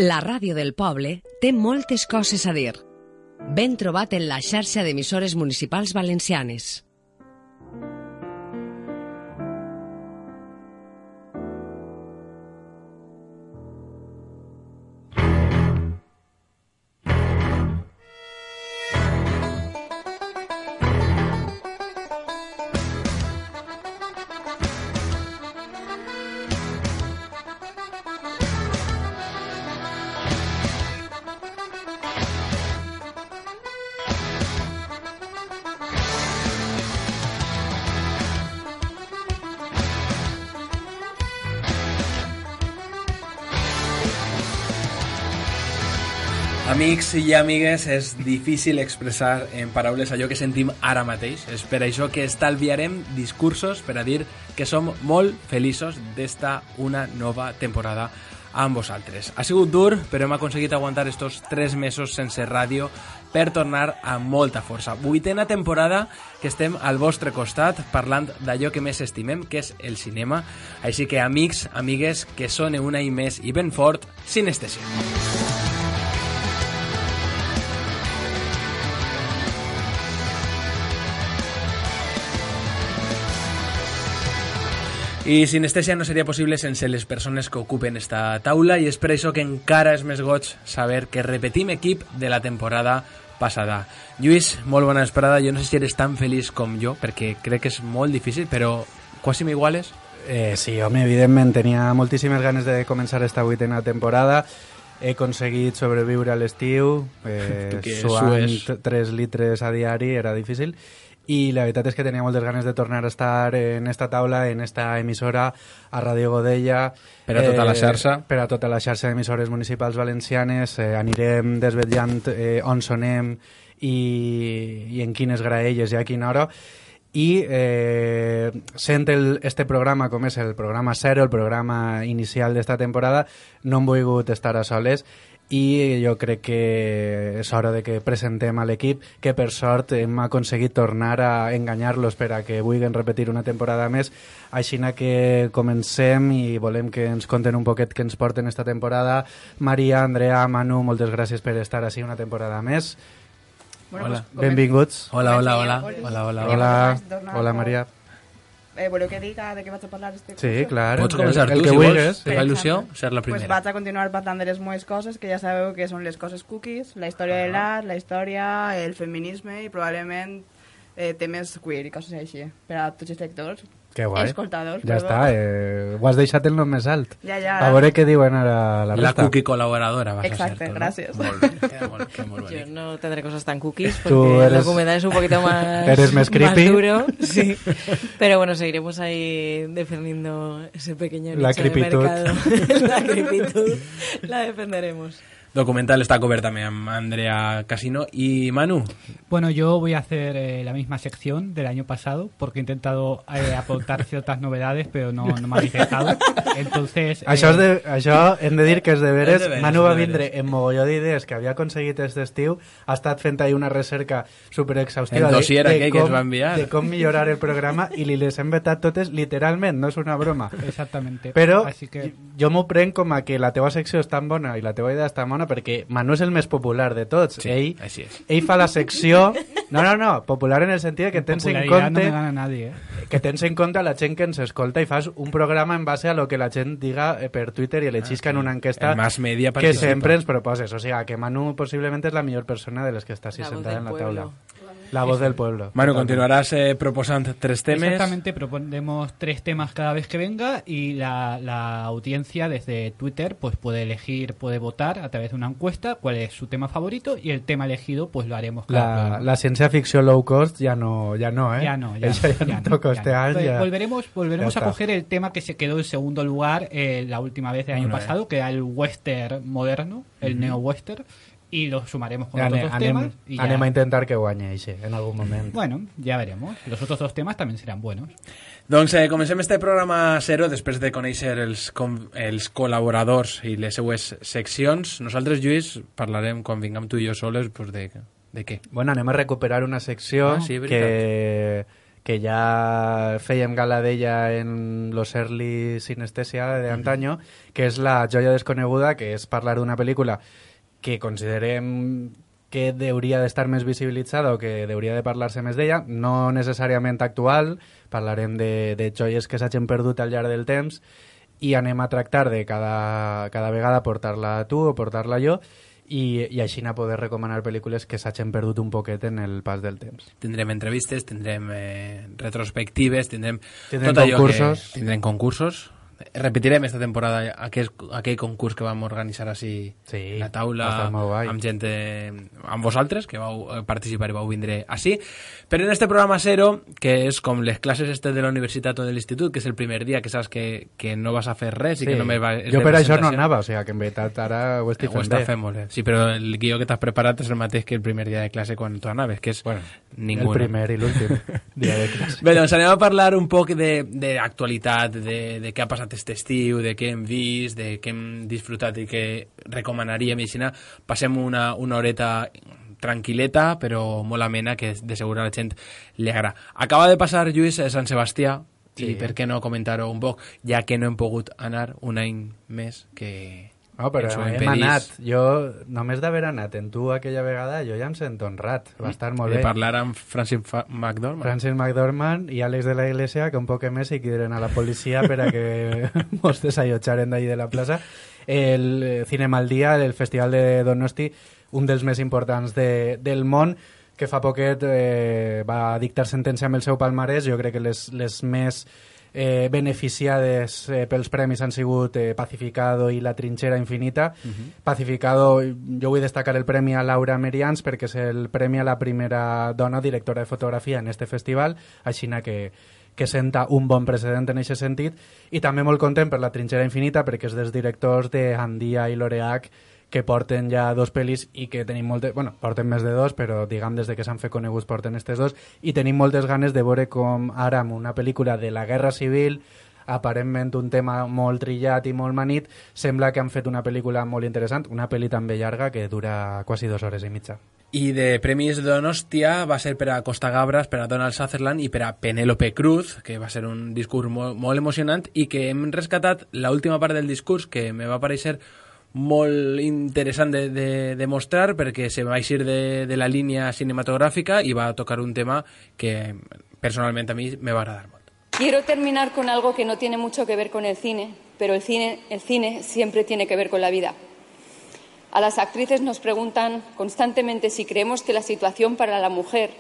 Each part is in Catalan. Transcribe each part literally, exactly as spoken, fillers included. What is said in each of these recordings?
La ràdio del poble té moltes coses a dir. Ben trobat en la xarxa d'emissores municipals valencianes. Amics i amigues, és difícil expressar en paraules allò que sentim ara mateix. És per això que estalviarem discursos per a dir que som molt feliços d'esta una nova temporada amb vosaltres. Ha sigut dur, però hem aconseguit aguantar estos tres mesos sense ràdio per tornar amb molta força. Vuitena temporada que estem al vostre costat parlant d'allò que més estimem, que és el cinema. Així que, amics, amigues, que sone una i més i ben fort, Sinestesia. I Sinestesia no seria possible sense les persones que ocupen esta taula i és per això que encara és més goig saber que repetim equip de la temporada passada. Lluís, molt bona vesprada. Jo no sé si eres tan feliç com jo, perquè crec que és molt difícil, però quasi m'iguales. Eh, sí, home, evidentment, tenia moltíssimes ganes de començar esta vuitena temporada. He aconseguit sobreviure a l'estiu, eh, suant tres litres a diari, era difícil. I la veritat és que tenia moltes ganes de tornar a estar en esta taula, en esta emissora, a Ràdio Godella. Per a tota la xarxa. Eh, per a tota la xarxa d'emissores municipals valencianes. Eh, anirem desvetllant eh, on sonem i, i en quines graelles i a quina hora. I eh, sent el, este programa com és el programa zero, el programa inicial d'esta temporada, no hem volgut estar a soles i jo crec que és hora de que presentem a l'equip, que per sort hem aconseguit tornar a enganyar-los per a que vulguin repetir una temporada més. Així que comencem i volem que ens conten un poquet que ens porten esta temporada. Maria, Andrea, Manu, moltes gràcies per estar així una temporada més. Bueno, hola, pues, benvinguts. Hola, hola, hola. Hola, hola, hola. Hola, Maria. Eh, voleu que diga de què vaig a parlar este Sí, curso? clar. Pots començar el, el tu, que si vulguis. vols. Te fa il·lusió ser la primera. Pues vaig a continuar parlant de les meves coses, que ja sabeu que són les coses cookies, la història de l'art, la història, el feminisme i probablement eh, temes queer i coses així, per a tots els lectors. Que guai. Escoltadors. Ja està, eh, ho has deixat el nom més alt. Ja, ja. A veure què diuen ara la resta. La cookie col·laboradora vas Exacte, a ser tu, gràcies. ¿no? Molt bé, queda molt, queda molt Yo bé. no tendré cosas tan cookies Tú porque eres- el documental es un poquito más, eres más creepy. duro. Sí. Pero bueno, seguiremos ahí defendiendo ese pequeño La nicho de creepitud. mercado. La creepitud la defenderemos. Documental está cobert també amb Andrea Casino y Manu. Bueno, yo voy a hacer eh, la misma sección del año pasado porque he intentado eh, aportar ciertas novedades, pero no, no me habéis dejado. Entonces, Això, eh, és de, això hem de dir que és deberes. És deberes, Manu va és deberes. vindre en mogolló d'idees que havia aconseguit aquest estiu. Ha estat fent ahí una recerca superexhaustiva El dossier de, de, aquell que com, ens va enviar. de com millorar el programa i li les hem vetat totes literalment, no és una broma. exactamente. Però Así que, jo m'ho prenc com a que la teva secció és tan bona i la teva idea és tan bona perquè Manu és el més popular de tots. Sí, ell, així és. ell fa la secció... No, no, no, popular en el sentit de que tens en popularidad no compte... me gana nadie, ¿eh? que tens en compte la gent que ens escolta i fas un programa en base a lo que la gent diga eh, per Twitter i l'eixisca Ah, sí. en una enquesta El mass media que participa. sempre ens proposes. O sigui, que Manu possiblement és la millor persona de les que està així La voz sentada del en la pueblo. taula. La voz del pueblo. Manu, Totalment. continuarás eh, proposant tres temes. Exactamente, proponemos tres temas cada vez que venga y la, la audiencia desde Twitter pues puede elegir, puede votar a través de una encuesta cuál es su tema favorito y el tema elegido pues lo haremos cada La, programa. la ciència-ficció low cost ja no, ja no, eh? Ya no, ya, Això no, ja, ya no no, toca ya este no. any. Pues Ja. Volveremos, volveremos Ya a está. coger el tema que se quedó en segundo lugar eh, la última vez del año Bueno, pasado, que era el western moderno, el neo-western, y lo sumaremos con Ja otros anem, dos anem, temas. Y ya- anem a intentar que guanyi eixe, en algun moment. Bueno, ya veremos. Los otros dos temas también serán buenos. Doncs eh, comencem este programa zero després de conèixer els, com, els col·laboradors i les seues seccions. Nosaltres, Lluís, parlarem quan vinguem tu i jo soles pues, de, de què? Bueno, anem a recuperar una secció Ah, sí, veritat. que, que ja fèiem gala d'ella en los early Sinestesia de antaño, que és La joia desconeguda, que és parlar d'una pel·lícula que considerem que hauria d'estar més visibilitzada o que hauria de parlar-se més d'ella, no necessàriament actual, parlarem de, de joies que s'hagin perdut al llarg del temps i anem a tractar de cada, cada vegada portar-la tu o portar-la jo i, i així a poder recomanar pel·lícules que s'hagin perdut un poquet en el pas del temps. Tindrem entrevistes, tindrem eh, retrospectives, tindrem, tindrem tot allò concursos. Que, tindrem concursos. Repetirem esta temporada aquell, aquell concurs que vam organitzar així sí, la taula amb gent eh, amb vosaltres que vau participar i vau vindre així, però en este programa zero, que és com les classes este de la universitat o de l'institut, que és el primer dia que saps que, que no vas a fer res sí. i que només va, jo per això no anava, o sigui que en veritat ara ho estic fent bé. Fent molt bé. Sí, però el guió que t'has preparat és el mateix que el primer dia de classe quan tu anaves, que és bueno, ningú. El primer i l'últim dia de classe. Bé, doncs anem a parlar un poc d'actualitat, de, de, de què ha passat aquest estiu, de què hem vist, de què hem disfrutat i què recomanaríem. I així passem una, una horeta tranquil·leta, però molt amena, que de segur a la gent li agrada. Acaba de passar, Lluís, a Sant Sebastià, sí. I per què no comentar-ho un poc, ja que no hem pogut anar un any més que... No, però hem anat. Jo, només d'haver anat en tu aquella vegada, jo ja em sento honrat. Va estar molt bé. De parlar amb Francis McDormand. Francis McDormand i Àlex de la Iglesia, que un poc més hi quideren a la policia per a que mos desallotjaren d'ahí de la plaça. El Cinema al Dia, el Festival de Donosti, un dels més importants de, del món, que fa poquet eh, va dictar sentència amb el seu palmarès. Jo crec que les, les més... Eh, beneficiades eh, pels premis han sigut eh, Pacificado i La trinxera infinita. Uh-huh. Pacificado, jo vull destacar el premi a Laura Merians perquè és el premi a la primera dona directora de fotografia en este festival, així que, que senta un bon precedent en aquest sentit, i també molt content per La trinxera infinita perquè és dels directors de Andia i L'Oreac, que porten ja dos pel·lis i que tenim moltes... Bueno, porten més de dos, però diguem des de que s'han fet coneguts porten estes dos, i tenim moltes ganes de veure com ara amb una pel·lícula de la Guerra Civil, aparentment un tema molt trillat i molt manit, sembla que han fet una pel·lícula molt interessant, una pel·li també llarga que dura quasi dues hores i mitja. I de Premis de Donostia va ser per a Costa Gabras, per a Donald Sutherland i per a Penélope Cruz, que va ser un discurs molt, molt emocionant i que hem rescatat l'última part del discurs, que me va aparèixer molt interessant de, de, de mostrar perquè se va eixir de, de la línia cinematogràfica i va tocar un tema que personalment a mi me va agradar molt. Quiero terminar con algo que no tiene mucho que ver con el cine, pero el cine, el cine siempre tiene que ver con la vida. A las actrices nos preguntan constantemente si creemos que la situación para la mujer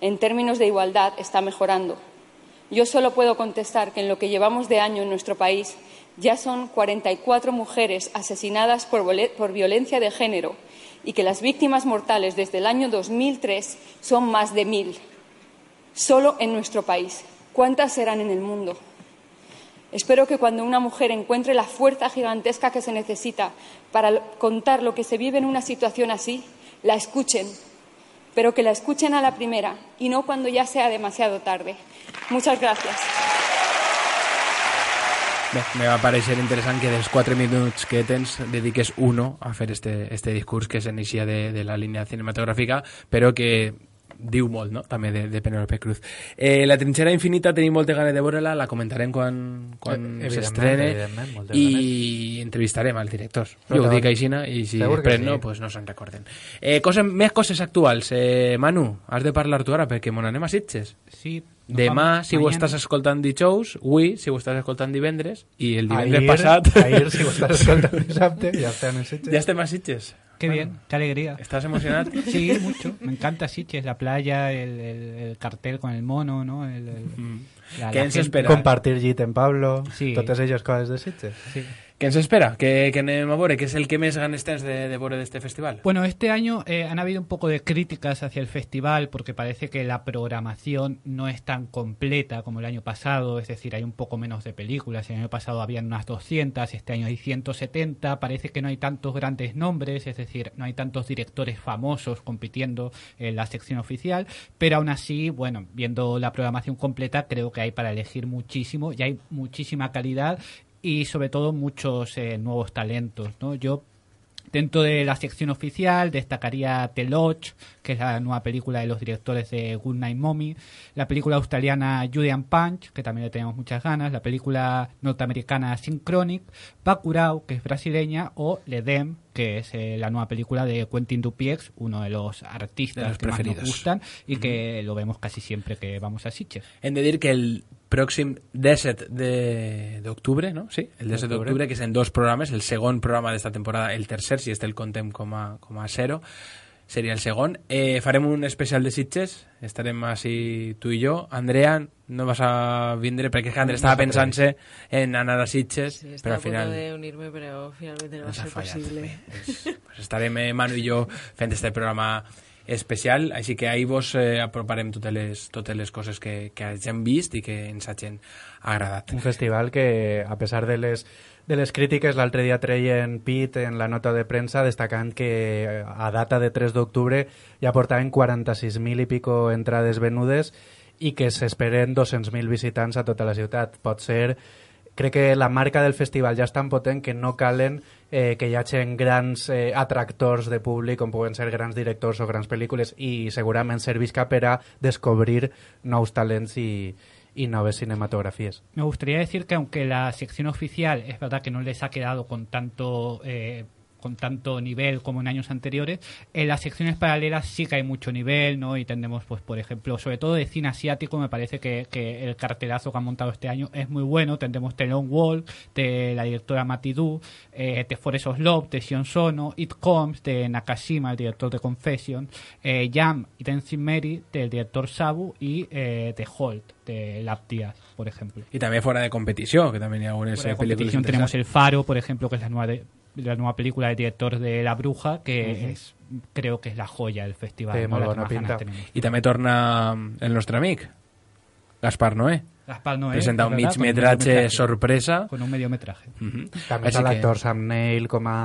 en términos de igualdad está mejorando. Yo solo puedo contestar que en lo que llevamos de año en nuestro país ya son cuarenta y cuatro mujeres asesinadas por, por violencia de género y que las víctimas mortales desde el año dos mil tres son más de mil. Solo en nuestro país. ¿Cuántas serán en el mundo? Espero que cuando una mujer encuentre la fuerza gigantesca que se necesita para contar lo que se vive en una situación así, la escuchen, pero que la escuchen a la primera y no cuando ya sea demasiado tarde. Muchas gracias. Bé, me va pareixer interessant que dels quatre minuts que tens dediques uno a fer este, este discurs que s'inicia de, de la línia cinematogràfica, però que diu molt, no?, també de, de Penélope Cruz. Eh, la trinxera infinita tenim moltes ganes de veure-la, la comentarem quan, quan s'estrene i ganes. Entrevistarem al director. Jo ho dic aixina i si després sí. no, pues no se'n recorden. Eh, coses, més coses actuals. Eh, Manu, has de parlar tu ara perquè mon anem a Sitges. Sí. No demà, si mañana. Ho estàs escoltant dijous, avui, si ho estàs escoltant divendres, i el divendres ahir, passat... Ahir, si ho estàs escoltant dissabte, ja estem a Sitges. Ja estem a Sitges. Qué bien, qué alegría. ¿Estás emocionado? Sí, mucho. Me encanta Sitges, la playa, el, el, el cartel con el mono, ¿no? El, el, mm. la, ¿Qué la se espera? Compartir Git en Pablo, sí. Totes elles coses de Sitges. Sí. ¿Qué ens espera? ¿Qué, qué anem a veure? ¿Qué es el que més ganes tens de, de veure d'este festival? Bueno, este año eh, han habido un poco de críticas hacia el festival porque parece que la programación no es tan completa como el año pasado, es decir, hay un poco menos de películas. El año pasado habían unas doscientas, este año hay ciento setenta, parece que no hay tantos grandes nombres, es decir, no hay tantos directores famosos compitiendo en la sección oficial, pero aún así, bueno, viendo la programación completa, creo que hay para elegir muchísimo y hay muchísima calidad y sobre todo muchos eh, nuevos talentos, ¿no? Yo Dentro de la sección oficial destacaría The Lodge, que es la nueva película de los directores de Goodnight Mommy, la película australiana Julian Punch, que también le tenemos muchas ganas, la película norteamericana Synchronic, Bacurau, que es brasileña, o L'Edem, que es eh, la nueva película de Quentin Dupieux, uno de los artistas de los que más preferidos. nos gustan y uh-huh. que lo vemos casi siempre que vamos a Sitges. Hem de dir que el pròxim disset d'octubre, no? Sí, el disset d'octubre, que és en dos programes, el segon programa d'esta temporada, el tercer, si este el contem com a, com a zero, seria el segon. Eh, farem un especial de Sitges, estarem així tu i jo. Andrea, no vas a vindre perquè Andrea estava pensant-se en anar a Sitges, sí, però al final... Sí, estava a punt de unir-me, però finalment no va ser fallat, possible. Pues, pues estarem eh, Manu i jo fent este programa especial, així que ahir vos eh, aproparem totes les, totes les coses que, que hagin vist i que ens hagin agradat. Un festival que, a pesar de les, de les crítiques, l'altre dia treien Pit en la nota de premsa destacant que a data de tres d'octubre ja portaven quaranta-sis mil i pico entrades venudes i que s'esperen dos-cents mil visitants a tota la ciutat. Pot ser... Crec que la marca del festival ja és tan potent que no calen eh, que hi hagin grans eh, atractors de públic com poden ser grans directors o grans pel·lícules i segurament servisca per a descobrir nous talents i, y nuevas cinematografías. Me gustaría decir que aunque la sección oficial es verdad que no les ha quedado con tanto... Eh, con tanto nivel como en años anteriores, en las secciones paralelas sí que hay mucho nivel, ¿no? Y tendremos, pues, por ejemplo, sobre todo de cine asiático, me parece que, que el cartelazo que han montado este año es muy bueno. Tendremos The Long Walk, de la directora Mati Du, eh, The Forest of Love, de Sion Sono, It Comes, de Nakashima, el director de Confession, eh, Jam y Dancing Mary, del director Sabu, y eh, The Holt, de Lab Díaz, por ejemplo. Y también fuera de competición, que también hay algunas fuera de películas competición tenemos El Faro, por ejemplo, que es la nueva de la nueva película del director de La Bruja, que uh-huh. es, creo que es la joya del festival. Sí, ¿no? molt bona pinta. I també torna el nostre amic, Gaspar Noé. Gaspar Noé. Presenta un mig metratge sorpresa. Con un mediometraje. Uh-huh. També està l'actor que... Sam Neill com a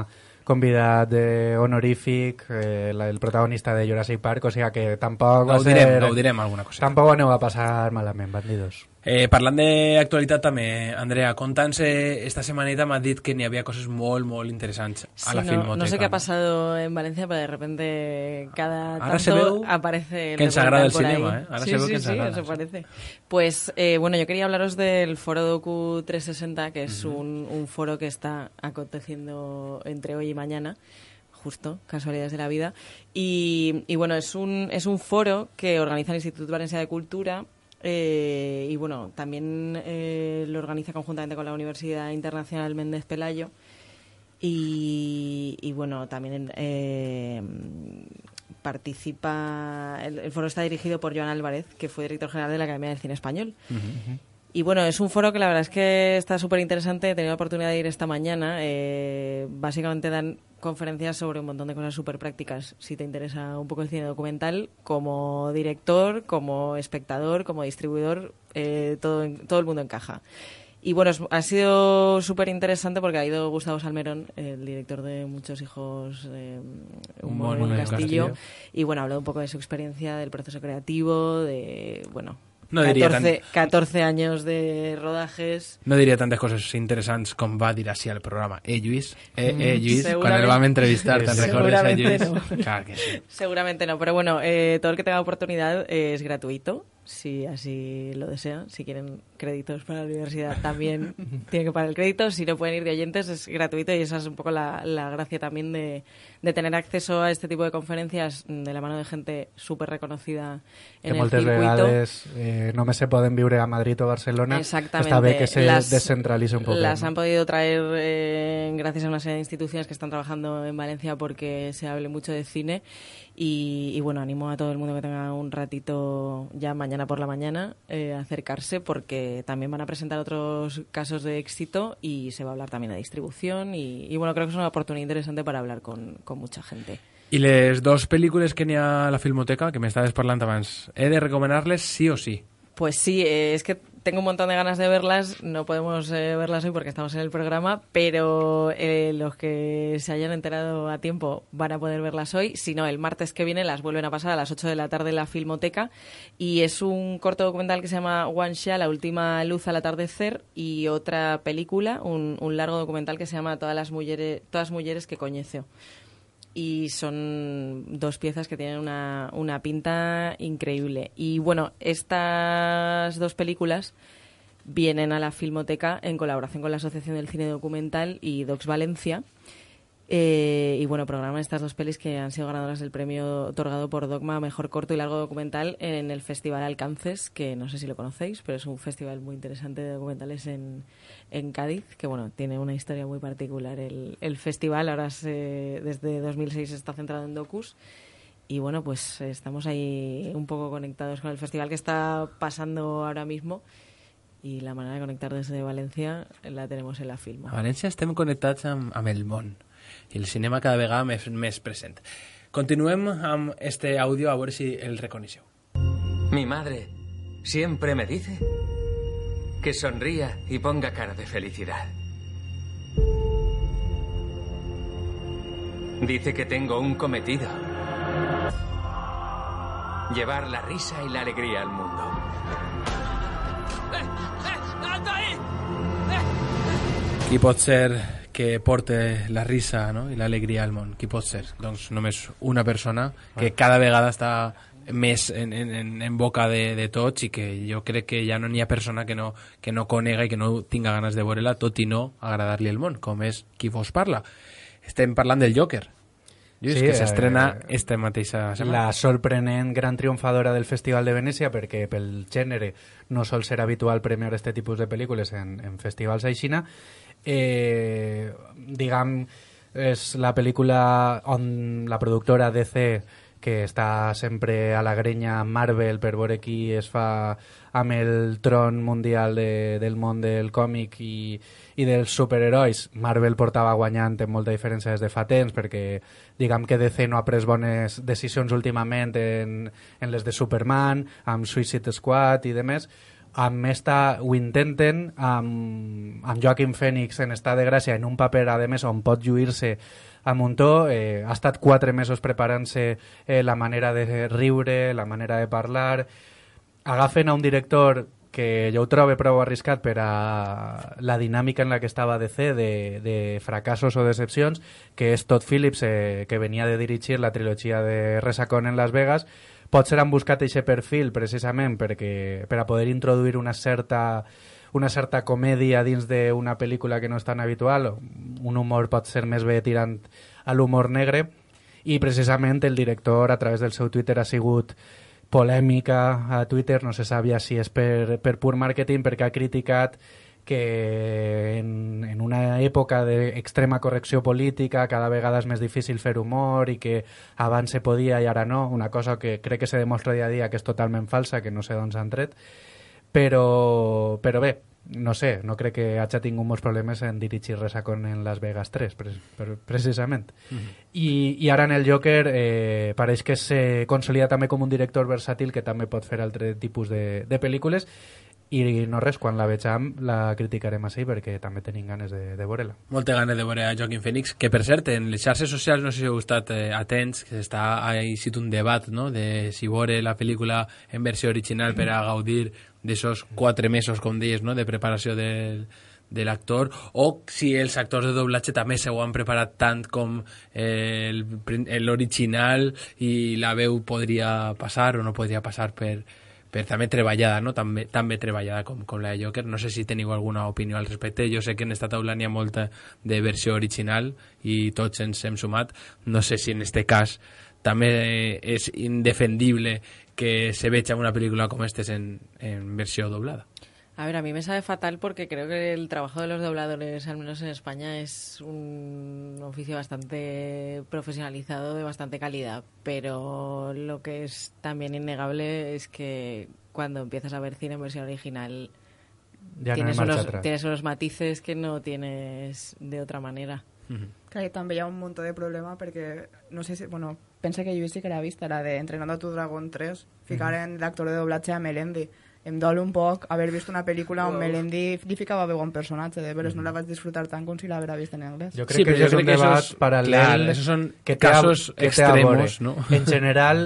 convidat honorífic, eh, la, el protagonista de Jurassic Park, o sigui que tampoc va ho direm, ser... ho direm alguna cosa. Tampoc aneu a passar malament, bandidos. Eh, parlant d'actualitat també, Andrea, conta'ns, esta semanita m'has dit que n'hi havia coses molt, molt interessants a sí, la no, Filmoteca. No sé qué ha pasado en Valencia, pero de repente cada Ahora tanto se veu aparece el que ens agrada el por cinema, ahí. ¿eh? Ahora sí, se veu sí, que ens sí, agrada. eso parece. Pues, eh, bueno, yo quería hablaros del Foro Docu trescientos sesenta, que es uh-huh. un, un foro que está aconteciendo entre hoy y mañana, justo, casualidades de la vida. Y, y bueno, es un, es un foro que organiza el Instituto Valencià de Cultura. Eh, y bueno, también eh, lo organiza conjuntamente con la Universidad Internacional Méndez Pelayo y, y bueno, también eh, participa, el, el foro está dirigido por Joan Álvarez, que fue director general de la Academia del Cine Español. Uh-huh. Y bueno, es un foro que la verdad es que está súper interesante. He tenido la oportunidad de ir esta mañana. Eh, básicamente dan conferencias sobre un montón de cosas súper prácticas. Si te interesa un poco el cine documental, como director, como espectador, como distribuidor, eh, todo, todo el mundo encaja. Y bueno, es, ha sido súper interesante porque ha ido Gustavo Salmerón, el director de Muchos hijos, eh, Humor en el Castillo, Castillo, y bueno, ha hablado un poco de su experiencia, del proceso creativo, de, bueno... No diria catorze, tant... catorze años de rodajes. No diria tantes coses interessants com va dir així al programa. Eh, Lluís? Eh, eh Lluís? Quan el vam entrevistar, ¿te recordes, eh, Lluís? No. Claro que sí. Seguramente no, pero bueno, eh, todo el que tenga oportunidad eh, es gratuito, si así lo desean. Si quieren créditos para la universidad también tienen que pagar el crédito. Si no pueden ir de oyentes, es gratuito y esa es un poco la, la gracia también de, de tener acceso a este tipo de conferencias de la mano de gente súper reconocida en que el circuito. Vegades, eh, només se poden viure a Madrid o Barcelona. Exactamente. Està bé que se las, descentralice un poco. Las ¿no? han podido traer eh, gracias a una serie de instituciones que están trabajando en Valencia porque se hable mucho de cine. Y, y bueno, animo a todo el mundo que tenga un ratito ya mañana por la mañana eh, a acercarse, porque también van a presentar otros casos de éxito y se va a hablar también de distribución y, y bueno, creo que es una oportunidad interesante para hablar con, con mucha gente. I les dos pel·lícules que n'hi ha a la Filmoteca, que m'estaves parlant abans, he de recomanar-les sí o sí? Pues sí, eh, es que tengo un montón de ganas de verlas, no podemos eh, verlas hoy porque estamos en el programa, pero eh, los que se hayan enterado a tiempo van a poder verlas hoy. Si no, el martes que viene las vuelven a pasar a las ocho de la tarde en la Filmoteca, y es un corto documental que se llama One Shot, la última luz al atardecer, y otra película, un, un largo documental que se llama Todas las mujeres, todas mujeres que coñezo. Y son dos piezas que tienen una, una pinta increíble. Y bueno, estas dos películas vienen a la Filmoteca en colaboración con la Asociación del Cine Documental y Docs Valencia. Eh, y bueno, programan estas dos pelis que han sido ganadoras del premio otorgado por Dogma a Mejor Corto y Largo Documental en el Festival Alcances, que no sé si lo conocéis, pero es un festival muy interesante de documentales en, en Cádiz, que bueno, tiene una historia muy particular el, el festival. Ahora se, desde dos mil seis está centrado en docus, y bueno, pues estamos ahí un poco conectados con el festival que está pasando ahora mismo, i la manera de connectar desde València la tenemos en la Filmo. A València estem connectats amb, amb el món, i el cinema cada vegada més, més present. Continuem amb este audio, a veure si el reconeixeu. Mi madre siempre me dice que sonría y ponga cara de felicidad. Dice que tengo un cometido: llevar la risa y la alegría al mundo. Qui pot ser que porte la risa, no?, i l'alegria al món? Qui pot ser? Doncs només una persona que cada vegada està més en, en, en boca de, de tots, i que jo crec que ja no n'hi ha persona que no, que no conega i que no tinga ganes de veure-la, tot i no agradar-li el món, com és qui vos parla. Estem parlant del Joker, Lluís, sí, que s'estrena eh, esta mateixa setmana. La sorprenent gran triomfadora del Festival de Venècia, perquè pel gènere no sol ser habitual premiar este tipus de pel·lícules en, en festivals aixina. Eh, diguem, és la pel·lícula on la productora D C, que està sempre a la grenya Marvel per veure qui es fa amb el tron mundial de, del món del còmic i, i dels superherois. Marvel portava guanyant amb molta diferència des de fa temps, perquè diguem que D C no ha pres bones decisions últimament en, en les de Superman, amb Suicide Squad i demés. Amb esta ho intenten, amb, amb Joaquin Phoenix en estat de gràcia, en un paper, a més, on pot lluir-se a muntó. Eh, ha estat quatre mesos preparant-se eh, la manera de riure, la manera de parlar. Agafen a un director que jo ho trobo prou arriscat per a la dinàmica en la que estava D C, de, de fracassos o decepcions, que és Todd Phillips, eh, que venia de dirigir la trilogia de Resacón en Las Vegas. Potser han buscat aquest perfil precisament perquè, per a poder introduir una certa, una certa comèdia dins d'una pel·lícula que no és tan habitual, un humor pot ser més bé tirant a l'humor negre, i precisament el director a través del seu Twitter ha sigut polèmica a Twitter, no se sabia si és per, per pur màrqueting, perquè ha criticat que en, en una època d'extrema correcció política cada vegada és més difícil fer humor i que abans se podia i ara no, una cosa que crec que se demostra dia a dia que és totalment falsa, que no sé d'on s'han tret, però, però bé, no sé, no crec que hagi tingut molts problemes en dirigir Resacón en Las Vegas tres, pre pre precisament. Uh-huh. I, I ara en el Joker eh, pareix que se consolida també com un director versàtil que també pot fer altre tipus de, de pel·lícules. I no res, quan la vegem la criticarem així perquè també tenim ganes de, de veure-la. Molta ganes de veure a Joaquin Phoenix, que per cert, en les xarxes socials, no sé si heu estat eh, atents, que està així un debat, no?, de si veure la pel·lícula en versió original per a gaudir d'aixòs quatre mesos, com deies, no?, de preparació del, de l'actor, o si els actors de doblatge també s'ho han preparat tant com eh, l'original i la veu podria passar o no podria passar per... per també treballada, no? També, també treballada com, com la de Joker. No sé si teniu alguna opinió al respecte. Jo sé que en esta taula n'hi ha molta de versió original i tots ens hem sumat. No sé si en este cas també és indefendible que se veja una pel·lícula com esta en, en versió doblada. A ver, a mí me sabe fatal porque creo que el trabajo de los dobladores, al menos en España, es un oficio bastante profesionalizado, de bastante calidad. Pero lo que es también innegable es que cuando empiezas a ver cine en versión original ya tienes, no unos, tienes unos matices que no tienes de otra manera. Uh-huh. Que també hi ha un munt de problema perquè, no sé si, bueno, pensa que jo sí que l'ha vist, la de Entrenando a tu Dragón tres, ficaren uh-huh. l'actor de doblatge a Melendi. em dol un poc haver vist una pel·lícula on Melendi li ficava veu a un personatge, de veres no la vaig disfrutar tant com si l'haguera vist en anglès. Jo crec sí, que això és un debat esos, paral·lel clar, esos son que casos que extremos, no? En general,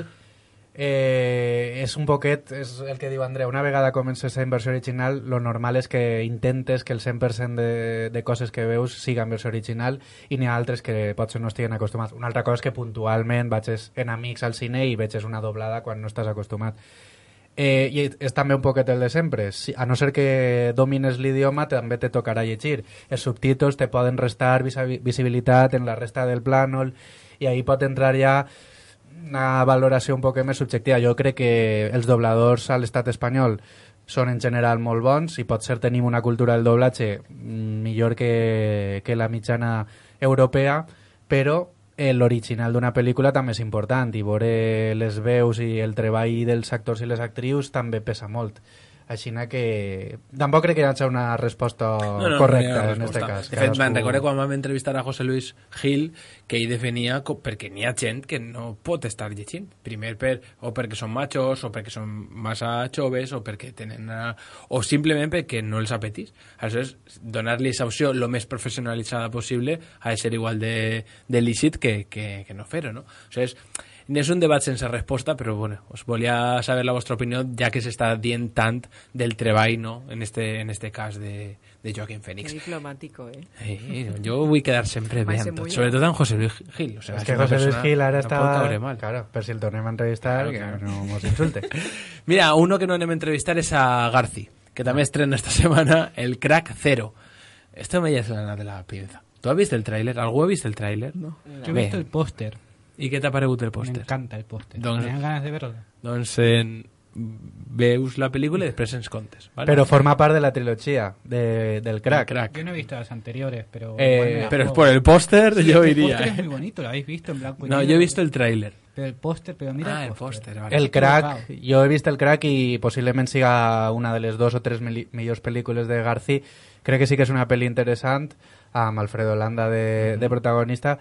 eh, és un poquet, és el que diu Andreu, una vegada comences en versió original, lo normal és que intentes que el cent per cent de, de coses que veus siga en versió original i n'hi ha altres que potser no estiguen acostumats. Una altra cosa és que puntualment vaig en amics al cine i veig una doblada quan no estàs acostumat. Eh, I és també un poquet el de sempre. Si, a no ser que domines l'idioma, també te tocarà llegir. Els subtítols te poden restar visibilitat en la resta del plànol i ahí pot entrar ja una valoració un poc més subjectiva. Jo crec que els dobladors a l'estat espanyol són en general molt bons i potser tenim una cultura del doblatge millor que, que la mitjana europea, però l'original d'una pel·lícula també és important i veure les veus i el treball dels actors i les actrius també pesa molt. Així que tampoc crec que hi hagi una resposta no, no, correcta no en aquest cas. De fet, me'n recordo quan vam entrevistar a José Luis Gil que ell definia perquè n'hi ha gent que no pot estar llegint. Primer per, o perquè són machos, o perquè són massa joves, o perquè tenen una, o simplement perquè no els apetís. Aleshores, donar-li aquesta opció el més professionalitzada possible ha de ser igual de, de lícit que, que, que no fer-ho, no? Aleshores, és un debat sense resposta, però bueno, us volia saber la vostra opinió, ja que s'està dient tant del treball, no?, en este, en este cas de, de Joaquín Phoenix. Que diplomàtico, eh? eh? Jo vull quedar sempre bé amb tot, sobretot amb José Luis Gil. O sea, és que José Luis Gil ara no està... Claro, per si el tornem a entrevistar, claro, claro. Que no mos insulte. Mira, uno que no anem a entrevistar és a Garci, que també estrena esta setmana el Crack Zero. Esto me llama la de la pinza. ¿Tú has visto el tráiler? ¿Algú ha visto el tráiler? No. Yo he visto el póster. I què t'ha paregut el pòster? M'encanta el pòster. Doncs, Tenen ganes de verlo. Doncs eh, veus la pel·lícula i després ens contes. ¿Vale? Però forma part de la trilogia de, del Crack. Crack. Yo no he visto las anteriores, pero... Eh, pero es por el póster, sí, yo el iría. El póster eh. es muy bonito, lo habéis visto en blanco y No, negro. yo he visto el tráiler. Pero el póster, pero mira ah, el póster. póster. Vale. El Crack, jo he vist el Crack i possiblement siga una de les dos o tres millors pel·lícules de Garci. Crec que sí que és una pel·li interessant, amb Alfredo Landa de, de protagonista.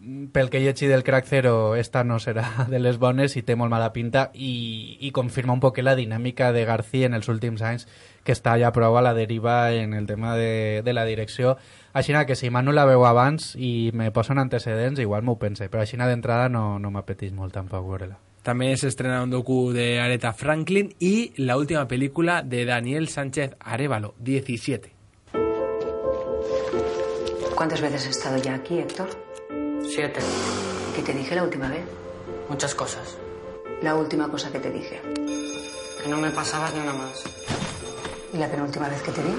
Pel que he llegit del Crack Zero, esta no serà de les bones i té molt mala pinta i, i confirma un poc la dinàmica de Garci en els últims anys, que està ja prou a la deriva en el tema de, de la direcció. Així que si Manu la veu abans i me posen antecedents, igual m'ho pense, però així d'entrada no, no m'apeteix molt tampoc veure-la. També s'estrena un docu de Aretha Franklin i la última pel·lícula de Daniel Sánchez Arévalo, diecisiete. ¿Cuántas veces has estado ya aquí, Héctor? Siete. ¿Qué te dije la última vez? Muchas cosas. La última cosa que te dije. Que no me pasabas ni una más. ¿Y la penúltima vez que te vi?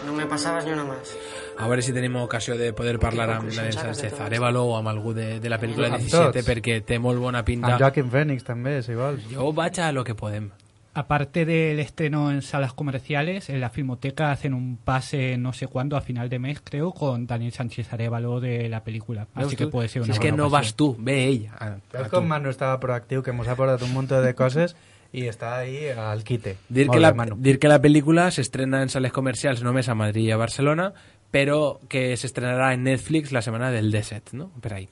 No me pasabas ni una más. A veure si tenim ocasió de poder parlar amb Daniel Sánchez Arévalo o amb algú de, de la pel·lícula diecisiete, perquè té molt bona pinta. Amb Joaquin Phoenix també, si vols. Jo vaig a lo que podem. Aparte del estreno en salas comerciales, en la Filmoteca hacen un pase no sé cuándo, a final de mes, creo, con Daniel Sánchez Arévalo de la película. Así que puede ser una si és buena que no ocasión. vas tu, ve ell. A, a com Manu estava proactiu, que mos ha portat un munt de coses i està ahí al quite. Dir que, la, dir que la pel·lícula s'estrena en sales comercials només a Madrid i a Barcelona, però que s'estrenarà en Netflix la setmana del disset, no? Per ahí.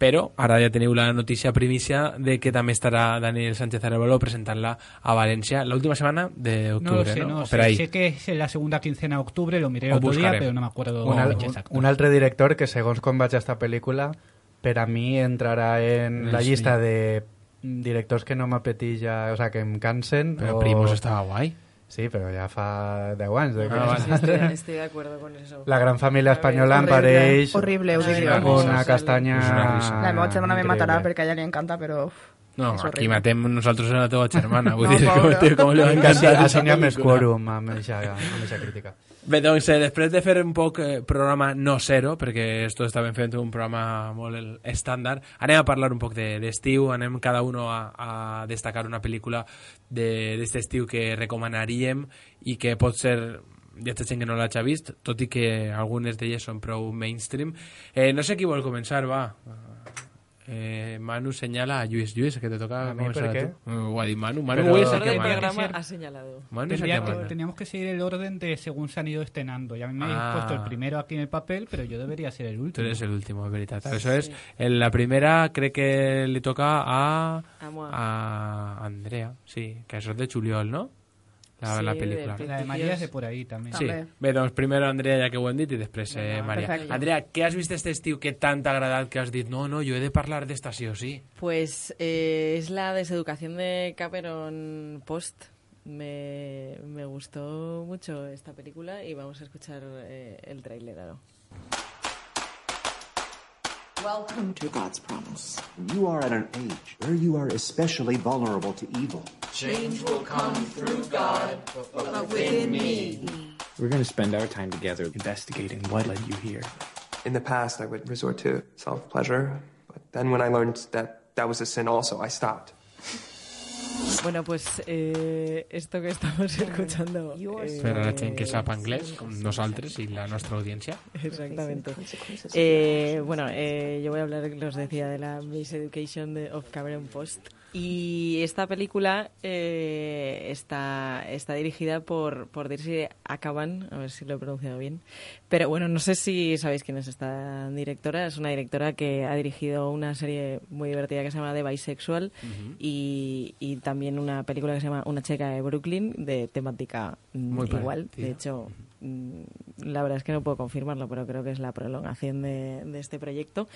Però ara ja teniu la notícia primícia de que també estarà Daniel Sánchez Arévalo presentant-la a València l'última setmana d'octubre, no sé, ¿no? No, o sé, per ahí. sé que es en la segunda quincena de octubre, lo miré Ho otro buscarem. día, pero no me acuerdo un, al, exacto. Un, un altre director que, segons com vaig a esta pel·lícula, per a mi entrarà en la llista de directors que no m'apeteix ja, o sea, que em cansen. Però o... Primos estava guai. Sí, però ja fa deu anys. De que... ah, sí, estoy, estoy de acuerdo con eso. La gran família espanyola em pareix horrible, ho dic. Una castanya... Una la meva germana me matarà perquè a ella li encanta, però... No, aquí matem nosaltres a la teva germana. Vull no, dir, com, tío, com li va encantar. Així n'hi ha més quòrum amb aquesta crítica. Bé, doncs, eh, després de fer un poc eh, programa no zero, perquè esto estàvem fent un programa molt estàndard, anem a parlar un poc d'estiu, de, anem cada uno a, a destacar una pel·lícula d'aquest estiu que recomanaríem i que pot ser hi ha gent que no l'hagi vist, tot i que algunes d'elles són prou mainstream. Eh, no sé qui vol començar, va. Eh, Manu señala a Lluís. Lluís, que te toca ¿A mí por comenzar qué? tú. Uh, ha dit Manu. Manu Pero hoy es el El que orden del manda. programa ha señalado. Manu es el Tendría que que- manda. teníamos que seguir el orden de según se han ido estrenando. Ya a mí me habéis Ah. puesto el primero aquí en el papel, pero yo debería ser el Tú último. eres el último, es veritat. Eso es. En la primera cree que le toca a, A moi. a Andrea, sí, que eso es de Juliol, ¿no? La, Sí, la del pel·lícula. Príncipe. La de María es de por ahí también. Sí, També. bé, doncs primer Andrea, ja que ho hem dit, i després eh, Vinga, Maria. perfecte. Andrea, què has vist este estiu que tant t'ha agradat que has dit no, no, jo he de parlar d'esta sí o sí? Pues eh, es la deseducación de Cameron Post. Me, me gustó mucho esta película y vamos a escuchar eh, el tráiler ahora. Welcome to God's promise. You are at an age where you are especially vulnerable to evil. Change will come through God, but within me. We're going to spend our time together investigating what led you here. In the past, I would resort to self-pleasure, but then when I learned that that was a sin also, I stopped. Bueno, pues eh, esto que estamos escuchando... eh, Per a la gent que sap anglès, com nosaltres i la nostra audiència. Exactamente. Eh, bueno, eh, yo voy a hablar, os decía, de la Miseducation de, of Cameron Post. Y esta película eh, está, está dirigida por, por Dirce Akaban, a ver si lo he pronunciado bien. Pero bueno, no sé si sabéis quién es esta directora. Es una directora que ha dirigido una serie muy divertida que se llama The Bisexual uh-huh. y, y también una película que se llama Una chica de Brooklyn, de temática muy igual. Parecida. De hecho, la verdad es que no puedo confirmarlo, pero creo que es la prolongación de, de este proyecto.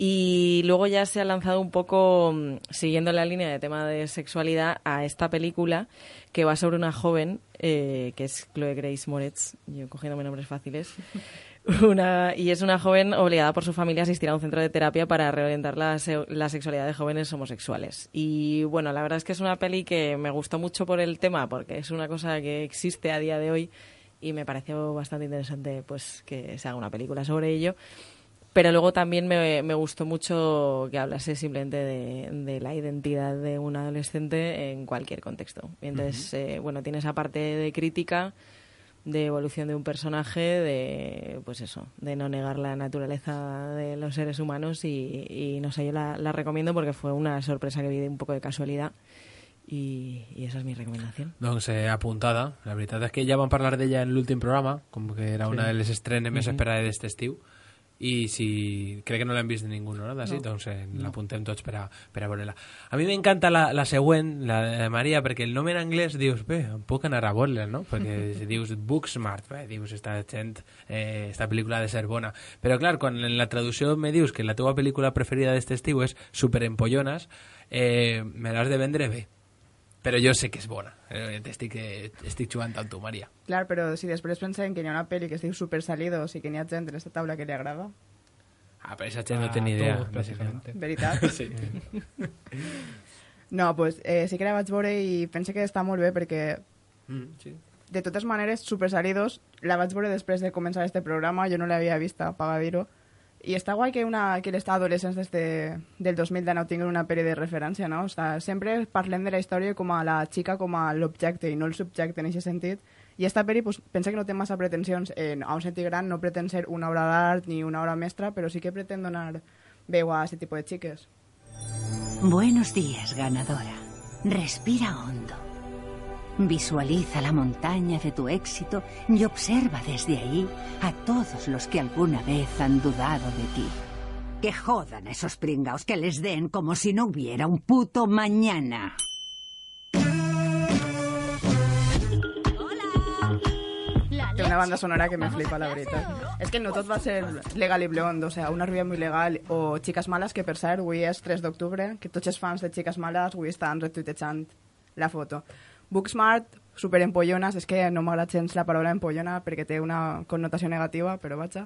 Y luego ya se ha lanzado un poco, siguiendo la línea de tema de sexualidad, a esta película que va sobre una joven, eh, que es Chloe Grace Moretz, yo cogiéndome nombres fáciles, una, y es una joven obligada por su familia a asistir a un centro de terapia para reorientar la, se, la sexualidad de jóvenes homosexuales. Y bueno, la verdad es que es una peli que me gustó mucho por el tema, porque es una cosa que existe a día de hoy y me pareció bastante interesante pues que se haga una película sobre ello. Pero luego también me, me gustó mucho que hablase simplemente de, de la identidad de un adolescente en cualquier contexto. Y entonces, uh-huh. eh, bueno, tiene esa parte de crítica, de evolución de un personaje, de, pues eso, de no negar la naturaleza de los seres humanos y, y no sé, yo la, la recomiendo porque fue una sorpresa que vi de un poco de casualidad. I, i esa és mi recomanació. Doncs eh, apuntada. La veritat és que ja vam parlar d'ella en l'últim programa, com que era sí. una de les estrenes més uh-huh. esperades d'este estiu. I si crec que no l'hem vist de ningú, no? D'ací, no. Doncs eh, no. l'apuntem tots per a, per a veure-la. A mi m'encanta la, la següent, la de Maria, perquè el nom en anglès dius, bé, em puc anar a veure-la, no? Perquè si dius Booksmart, bé, dius, esta gent, eh, esta pel·lícula ha de ser bona. Però clar, quan en la traducció me dius que la teva pel·lícula preferida d'este estiu és Superempollones, eh, me l'has de vendre bé. Però jo sé que és bona. Eh, estic, eh, estic jugant amb tu, Maria. Clar, però si després pensem que hi ha una pel·li que es diu Super Salidos i que n'hi ha gent en aquesta taula que li agrada... Ah, però aquesta gent ah, no té ni idea. Tot, veritat? Sí. No, pues eh, sí que la vaig veure i pense que està molt bé perquè... Mm, sí. De totes maneres, Super Salidos la vaig veure després de començar este programa, jo no l'havia vista, paga dir-ho. I està guai que, una, que les adolescents des de, del dos mil deu tinguin una pel·li de referència, no? O sea, sempre parlem de la història com a la xica com a l'objecte i no el subjecte en aquest sentit. I esta pel·li pues, pensa que no té massa pretensions. En, a un sentit gran no pretén ser una obra d'art ni una obra mestra, però sí que pretén donar veu a aquest tipus de xiques. Buenos días, ganadora. Respira hondo. Visualiza la montaña de tu éxito y observa desde ahí a todos los que alguna vez han dudado de ti. Que jodan esos pringaos, que les den como si no hubiera un puto mañana. Té una banda sonora que me flipa, la veritat. És que no tot va ser Legal i Blonde, o sea, Una rubia muy legal o Chicas malas, que per cert, avui és tres d'octubre, que tots els fans de Chicas malas avui estan retuitejant la foto. Booksmart, superempollones, és que no m'agrada gens la paraula empollona perquè té una connotació negativa, però vaja.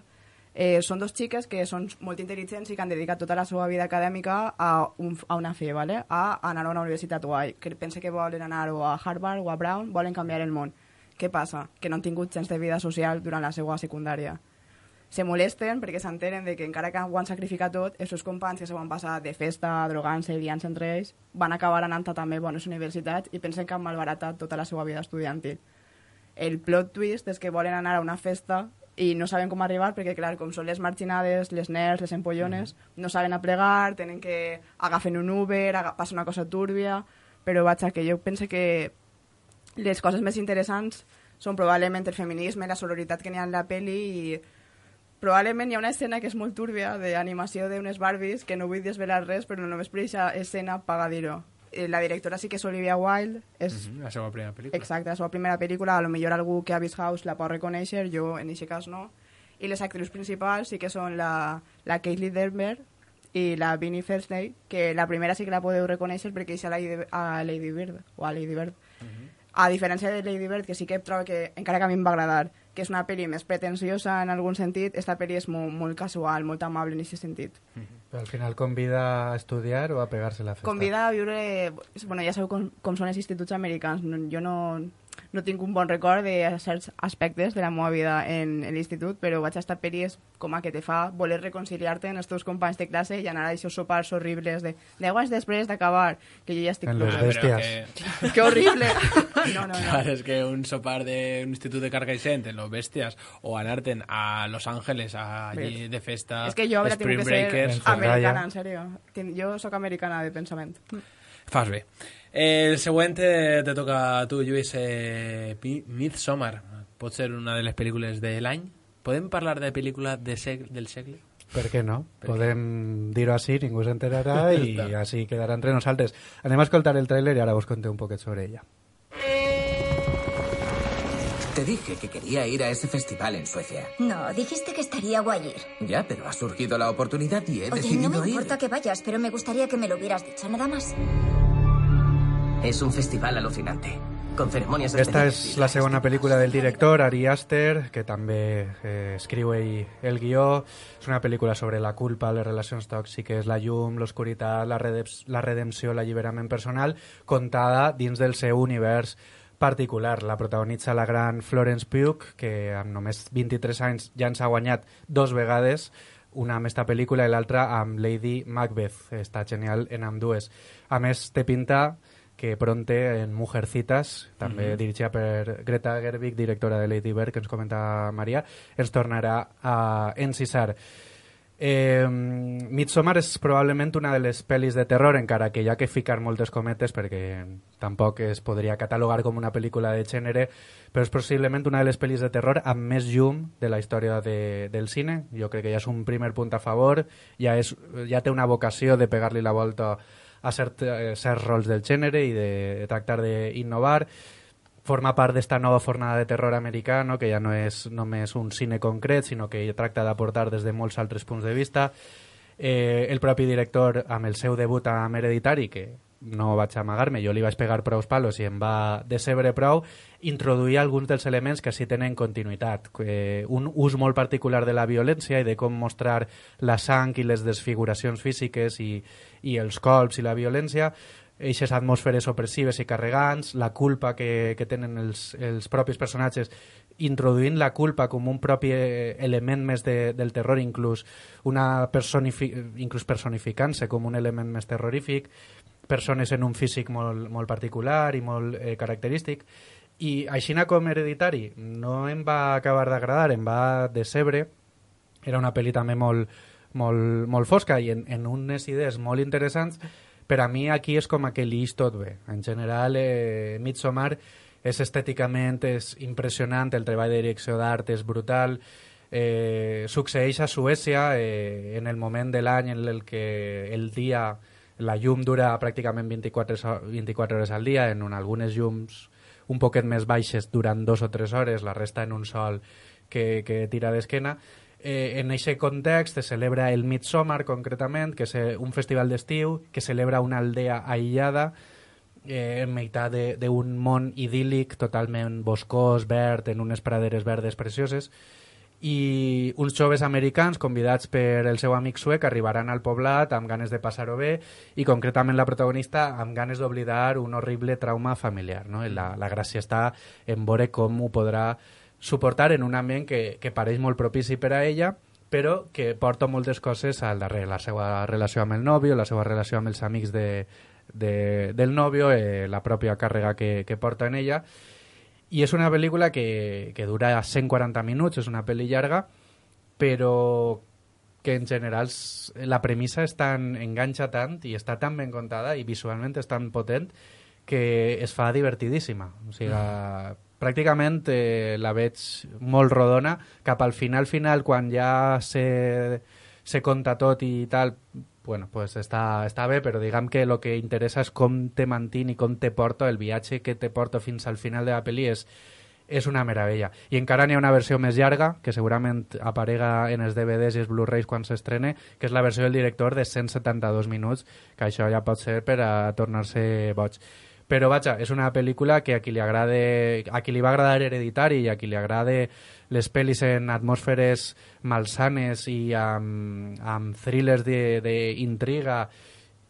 Eh, són dos xiques que són molt intel·ligents i que han dedicat tota la seva vida acadèmica a, un, a una fe, ¿vale? A anar a una universitat guai, que pensa que volen anar o a Harvard o a Brown, volen canviar el món. Què passa? Que no han tingut gens de vida social durant la seva secundària. Se molesten perquè s'entenen de que encara que ho han sacrificat tot, els seus companys que se van passar de festa, drogant-se i liant-se entre ells, van acabar anant a també bones universitats i pensen que han malbaratat tota la seva vida estudiantil. El plot twist és que volen anar a una festa i no saben com arribar perquè, clar, com són les marginades, les nerds, les empollones, mm. no saben aplegar, tenen que agafen un Uber, aga passa una cosa túrbia, però vaja, que jo penso que les coses més interessants són probablement el feminisme, la sororitat que n'hi ha en la pel·li i probablement hi ha una escena que és molt túrbia d'animació d'unes Barbies que no vull desvelar res, però només per aquesta escena paga dir-ho. La directora sí que és Olivia Wilde, és uh -huh, la seva primera pel·lícula. Exacte, la seva primera pel·lícula, a lo millor algú que ha vist House la pot reconèixer, jo en aquest cas no. I les actrius principals sí que són la, la Caitlyn Dever i la Vinnie Felsney, que la primera sí que la podeu reconèixer perquè és a Lady, a Lady Bird, o a Lady Bird. Uh -huh. A diferència de Lady Bird, que sí que trobo que, encara que a mi em va agradar, que és una pel·li més pretensiosa en algun sentit, esta pel·li és molt, molt casual, molt amable en aquest sentit. Però al final convida a estudiar o a pegar-se la festa? Convida a viure... Bueno, ja sabeu com, com són els instituts americans. No, jo no, no tinc un bon record de certs aspectes de la meva vida en, en l'institut, però vaig a esta pel·li és com a que te fa voler reconciliar-te amb els teus companys de classe i anar a aquests sopars horribles de deu anys després d'acabar, que jo ja estic... En les bèsties. Que... que horrible! No, no, no. Clar, és que un sopar d'un institut de Carcaixent en los bèsties o anar-te'n a Los Ángeles allí de festa, és que jo ara tinc que Breakers, ser americana, en sèrio. Jo sóc americana de pensament. Fas bé. Eh, el següent te, te toca a tu, Lluís. Eh, Midsommar. Pot ser una de les pel·lícules de l'any? Podem parlar de pel·lícula de seg del segle? Per què no? Per Podem dir-ho així, ningú s'enterarà i així quedarà entre nosaltres. Anem a escoltar el tràiler i ara us conté un poquet sobre ella. Te dije que quería ir a ese festival en Suecia. No, dijiste que estaría guay ir. Ya, pero ha surgido la oportunidad y he Oye, decidido ir. no me importa ir. que vayas, pero me gustaría que me lo hubieras dicho, nada más. Es un festival alucinante, con ceremonias Esta és la segona pel·lícula del director, Ari Aster, que també eh, escriu ell el guió. És una pel·lícula sobre la culpa, les relacions tòxiques, la llum, l'oscuritat, la, la redempció, l'alliberament personal, contada dins del seu univers particular. La protagonitza la gran Florence Pugh, que amb només vint-i-tres anys ja ens ha guanyat dos vegades, una amb esta pel·lícula i l'altra amb Lady Macbeth. Està genial en ambdues. A més, té pinta que pronte en Mujercitas, també mm-hmm. dirigida per Greta Gerwig, directora de Lady Bird, que ens comenta Maria, ens tornarà a encisar. Eh, Midsommar és probablement una de les pel·lis de terror, encara que hi ha que ficar moltes cometes perquè tampoc es podria catalogar com una pel·lícula de gènere, però és possiblement una de les pel·lis de terror amb més llum de la història de, del cine. Jo crec que ja és un primer punt a favor, ja, és, ja té una vocació de pegar-li la volta a cert, eh, certs rols del gènere i de, de tractar d'innovar. Forma part d'esta nova fornada de terror americà, no? Que ja no és només un cine concret, sinó que tracta d'aportar des de molts altres punts de vista. Eh, el propi director, amb el seu debut amb Hereditary, que no vaig amagar-me, jo li vaig pegar prou palos i em va decebre prou, introduir alguns dels elements que sí tenen continuïtat. Eh, un ús molt particular de la violència i de com mostrar la sang i les desfiguracions físiques i, i els colps i la violència, eixes atmosferes opressives i carregants, la culpa que, que tenen els, els propis personatges, introduint la culpa com un propi element més de, del terror, inclús, una personifi inclús personificant-se com un element més terrorífic, persones en un físic molt, molt particular i molt eh, característic. I així com Hereditary no em va acabar d'agradar, em va decebre. Era una pel·li també molt, molt, molt fosca i en, en unes idees molt interessants. Per a mi aquí és com que li és tot bé. En general, eh, Midsommar és estèticament és impressionant, el treball de direcció d'art és brutal, eh, succeeix a Suècia eh, en el moment de l'any en el que el dia, la llum dura pràcticament vint-i-quatre, vint-i-quatre hores al dia, en un, algunes llums un poquet més baixes durant dos o tres hores, la resta en un sol que, que tira d'esquena. Eh, en aquest context se celebra el Midsommar, concretament, que és un festival d'estiu que celebra una aldea aïllada eh, en meitat d'un món idíl·lic, totalment boscós, verd, en unes praderes verdes precioses, i uns joves americans convidats per el seu amic suec arribaran al poblat amb ganes de passar-ho bé i concretament la protagonista amb ganes d'oblidar un horrible trauma familiar, no? La, la gràcia està en veure com ho podrà suportar en un ambient que, que pareix molt propici per a ella, però que porta moltes coses al darrere, la seva relació amb el nòvio, la seva relació amb els amics de, de, del nòvio, eh, la pròpia càrrega que, que porta en ella. I és una pel·lícula que, que dura cent quaranta minuts, és una pel·li llarga, però que en general la premissa és tan, enganxa tant i està tan ben contada i visualment és tan potent que es fa divertidíssima. O sigui, mm. pràcticament eh, la veig molt rodona. Cap al final, final, quan ja se, se conta tot i tal, bueno, pues està, està bé, però diguem que el que interessa és com te mantin i com te porto, el viatge que te porto fins al final de la pel·li és, és una meravella. I encara n'hi ha una versió més llarga, que segurament aparega en els D V Ds i els Blu-rays quan s'estrene, que és la versió del director de cent setanta-dos minuts, que això ja pot ser per a tornar-se boig. Però, vaja, és una pel·lícula que a qui li agrade, a qui li va agradar Hereditari i a qui li agrade les pel·lis en atmosferes malsanes i amb, amb thrillers d'intriga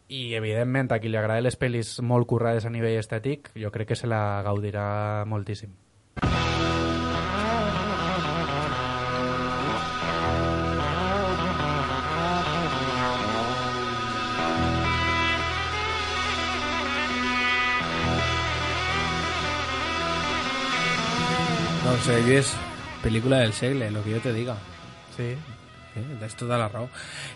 i, evidentment, a qui li agrada les pel·lis molt currades a nivell estètic, jo crec que se la gaudirà moltíssim. Doncs eh, és pel·lícula del segle, lo que yo te diga. Sí. Sí, tens tota la raó.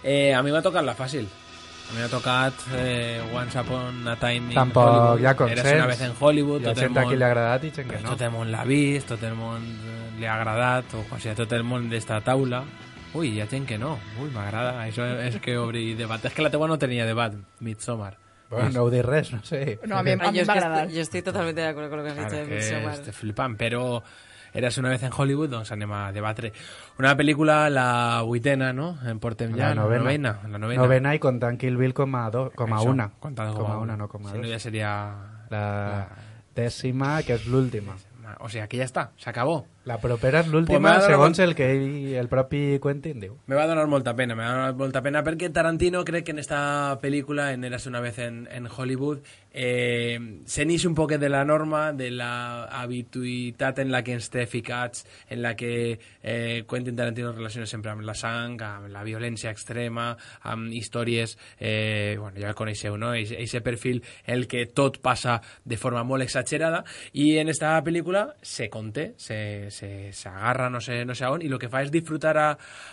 Eh, a mi m'ha tocat la fàcil. A mi m'ha tocat eh, Once Upon a Time in Tampoc Hollywood. hi ha consens. Eres una vez en Hollywood. Hi ha gent a qui li ha agradat i gent que no. Tot el món l'ha vist, tot el món li ha agradat, o quasi a tot el món d'esta taula. Ui, hi ha gent que no. Ui, m'agrada. Això és que obri debat. És que la teua no tenia debat, Midsommar. Bueno, no ho dic res, no sé. No, a mi, a mi m'ha agradat. Jo estic totalment d'acord con lo que has dicho de Midsommar. Estic flipant, però Eres una vez en Hollywood, doncs anem a debatre. Una pel·lícula, la vuitena, no? En portem ja, la novena. novena, la novena. Novena i comptant Kill Bill com a, do, com a Això, una. comptant com a una, no com a si dos. no ja seria la, la dècima, que és l'última. O sigui, aquí ja està, s'acabó. La propera és l'última, pues segons el que ell, el propi Quentin diu. Me va donar molta pena, me va donar molta pena perquè Tarantino crec que en esta pel·lícula, en Érase una vez en, en Hollywood, eh, se n'ix un poquet de la norma, de la habituïtat en la que ens té ficats, en la que eh, Quentin Tarantino relaciona sempre amb la sang, amb la violència extrema, amb històries, eh, bueno, ja el coneixeu, no? Eixe perfil el que tot passa de forma molt exagerada, i en esta pel·lícula se conté, se se, se agarra no sé, no sé on, i el que fa és disfrutar a,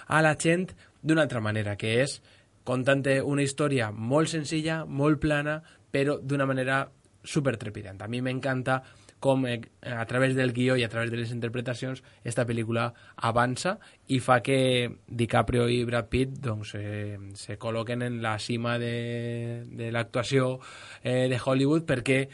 a la gent d'una altra manera, que és contant una història molt senzilla, molt plana, però d'una manera super trepidant. A mi m'encanta com eh, a través del guió i a través de les interpretacions esta pel·lícula avança i fa que DiCaprio i Brad Pitt doncs, eh, se col·loquen en la cima de, de l'actuació eh, de Hollywood, perquè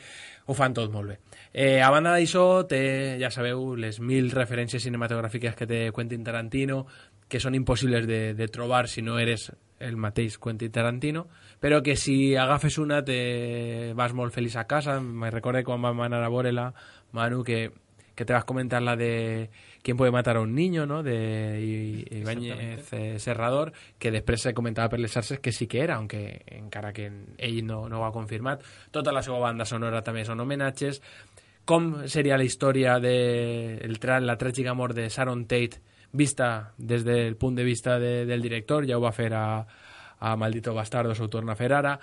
ho fan tot molt bé. Eh, a banda d'això, té, ja sabeu, les mil referències cinematogràfiques que té Quentin Tarantino, que són impossibles de, de trobar si no eres el mateix Quentin Tarantino, però que si agafes una te vas molt feliç a casa. Me recordo quan vam anar a veure-la, Manu, que, que te vas comentar la de ¿Quién puede matar a un niño?, ¿no?, de Ibáñez eh, Serrador, que després se comentava per les xarxes que sí que era, aunque encara que ell no, no ho ha confirmat. Tota la seva banda sonora també són homenatges. Com seria la història de el tra la tràgica mort de Sharon Tate vista des del punt de vista de, del director? Ja ho va fer a, a Maldito Bastardo, s'ho torna a fer ara.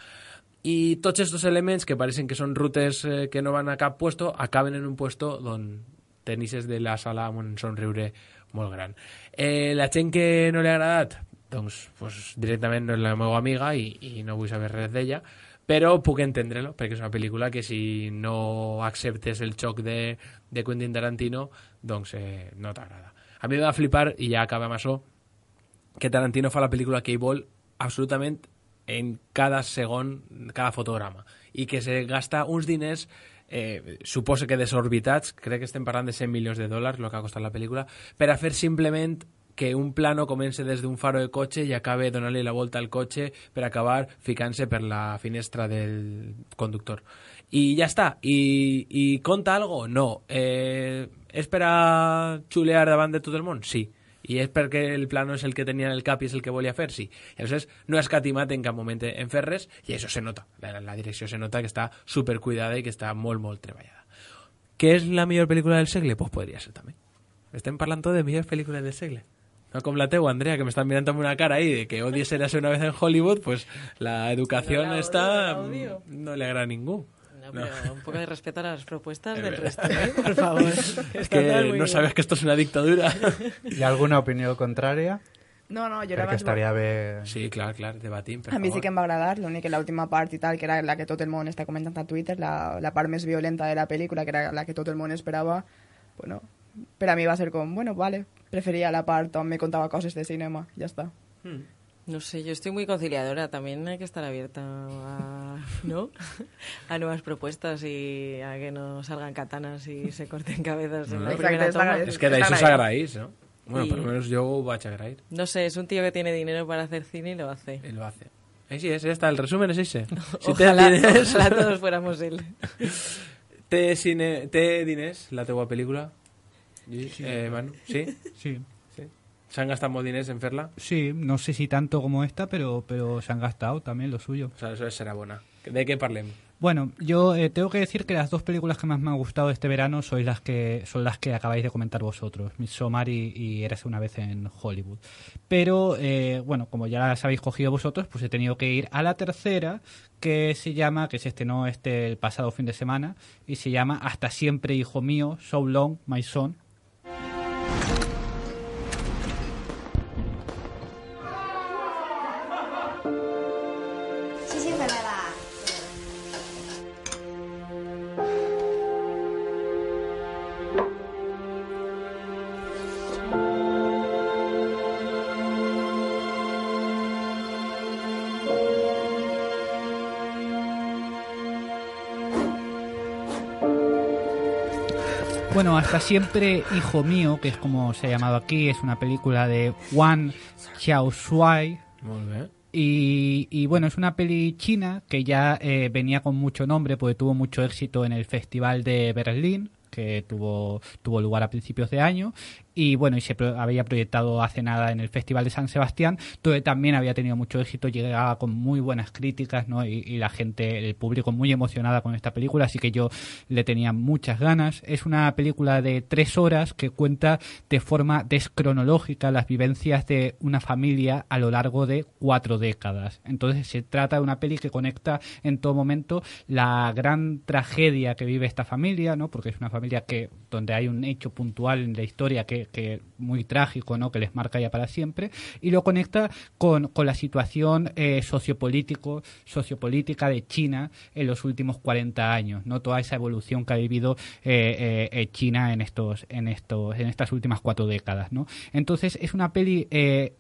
I tots aquests elements que pareixen que són rutes eh, que no van a cap puesto, acaben en un puesto on tenixes de la sala amb un somriure molt gran. Eh, la gent que no li ha agradat, doncs pues, directament no és la meva amiga i, i no vull saber res d'ella, però puc entendre-lo, perquè és una pel·lícula que si no acceptes el xoc de, de Quentin Tarantino, doncs eh, no t'agrada. A mi em va flipar, i ja acabem amb això, que Tarantino fa la pel·lícula que ell vol absolutament en cada segon, cada fotograma, i que se gasta uns diners, eh, suposo que desorbitats, crec que estem parlant de cent milions de dòlars, el que ha costat la pel·lícula, per a fer simplement que un plano comença des d'un faro de cotxe i acabe donant-li la volta al cotxe per acabar ficant-se per la finestra del conductor. I ja està. I, i conta algo? No. Eh, és per a xulear davant de tot el món? Sí. I és perquè el plano és el que tenia en el cap i és el que volia fer? Sí. I llavors no ha escatimat en cap moment en fer res, i això se nota. La, la direcció se nota que està supercuidada i que està molt, molt treballada. Què és la millor pel·lícula del segle? Pues podria ser també. Estem parlant tot de millors pel·lícules del segle. No com la teua, Andrea, que me están mirando amb una cara ahí de que odies Érase una vez en Hollywood, pues la educación no, está... No le agrada a ningú. No, No, pero No. un poco de respeto a las propuestas Es del verdad. resto, ¿eh? Por favor. Es Está todo que muy no bien. sabes que esto es una dictadura. Hi ha alguna opinió contrària? No, no, jo la Perquè vaig... estaria bé... Sí, clar, clar, debatim, per A mi favor. sí que em va agradar, l'únic que l'última part i tal, que era la que tot el món està comentant a Twitter, la, la part més violenta de la pel·lícula, que era la que tot el món esperava, bueno, per a mi va ser com, bueno, vale, preferia la part on me contava coses de cinema, ja està. Hmm. No sé, yo estoy muy conciliadora. También hay que estar abierta a, ¿no? a nuevas propuestas y a que no salgan katanas y se corten cabezas en la No. primera Exacte, toma. és És que d'això s'agraís, no? Bueno, Y- por lo menos yo ho vaig agrair. No sé, es un tío que tiene dinero para hacer cine y lo hace. Él lo hace. Així és, ja està, el resumen és ese. Si Ojalá, té diners... ojalá todos fuéramos él. Té, cine, té diners, la teua pel·lícula? Sí. Eh, Manu, ¿sí? Sí. Sí. ¿Se han gastado molt diners en fer-la? Sí, no sé si tanto como esta, pero, pero se han gastado también lo suyo. O sea, eso serà bona. ¿De qué parlem? Bueno, yo eh, tengo que decir que las dos películas que más me han gustado este verano son las que son las que acabáis de comentar vosotros, Midsommar y, y Érase una vez en Hollywood. Pero, eh, bueno, como ya las habéis cogido vosotros, pues he tenido que ir a la tercera, que se llama, que se estrenó este el pasado fin de semana, y se llama Hasta siempre, hijo mío, So Long, My Son. Bueno, Hasta siempre, hijo mío, que es como se ha llamado aquí, es una película de Wang Xiaoshuai. Molt bé. Y, y bueno, es una peli china que ya eh, venía con mucho nombre porque tuvo mucho éxito en el Festival de Berlín, que tuvo, tuvo lugar a principios de año. Y bueno, y se pro- había proyectado hace nada en el Festival de San Sebastián, donde también había tenido mucho éxito, llegaba con muy buenas críticas, ¿no? Y, y la gente, el público muy emocionada con esta película, así que yo le tenía muchas ganas. Es una película de tres horas que cuenta de forma descronológica las vivencias de una familia a lo largo de cuatro décadas. Entonces se trata de una peli que conecta en todo momento la gran tragedia que vive esta familia, ¿no? Porque es una familia que donde hay un hecho puntual en la historia que que muy trágico, ¿no? Que les marca ya para siempre, y lo conecta con, con la situación eh, sociopolítico, sociopolítica de China en los últimos cuarenta años, ¿no? Toda esa evolución que ha vivido eh, eh, China en estos, en estos, en estas últimas cuatro décadas, ¿no? Entonces es una peli eh,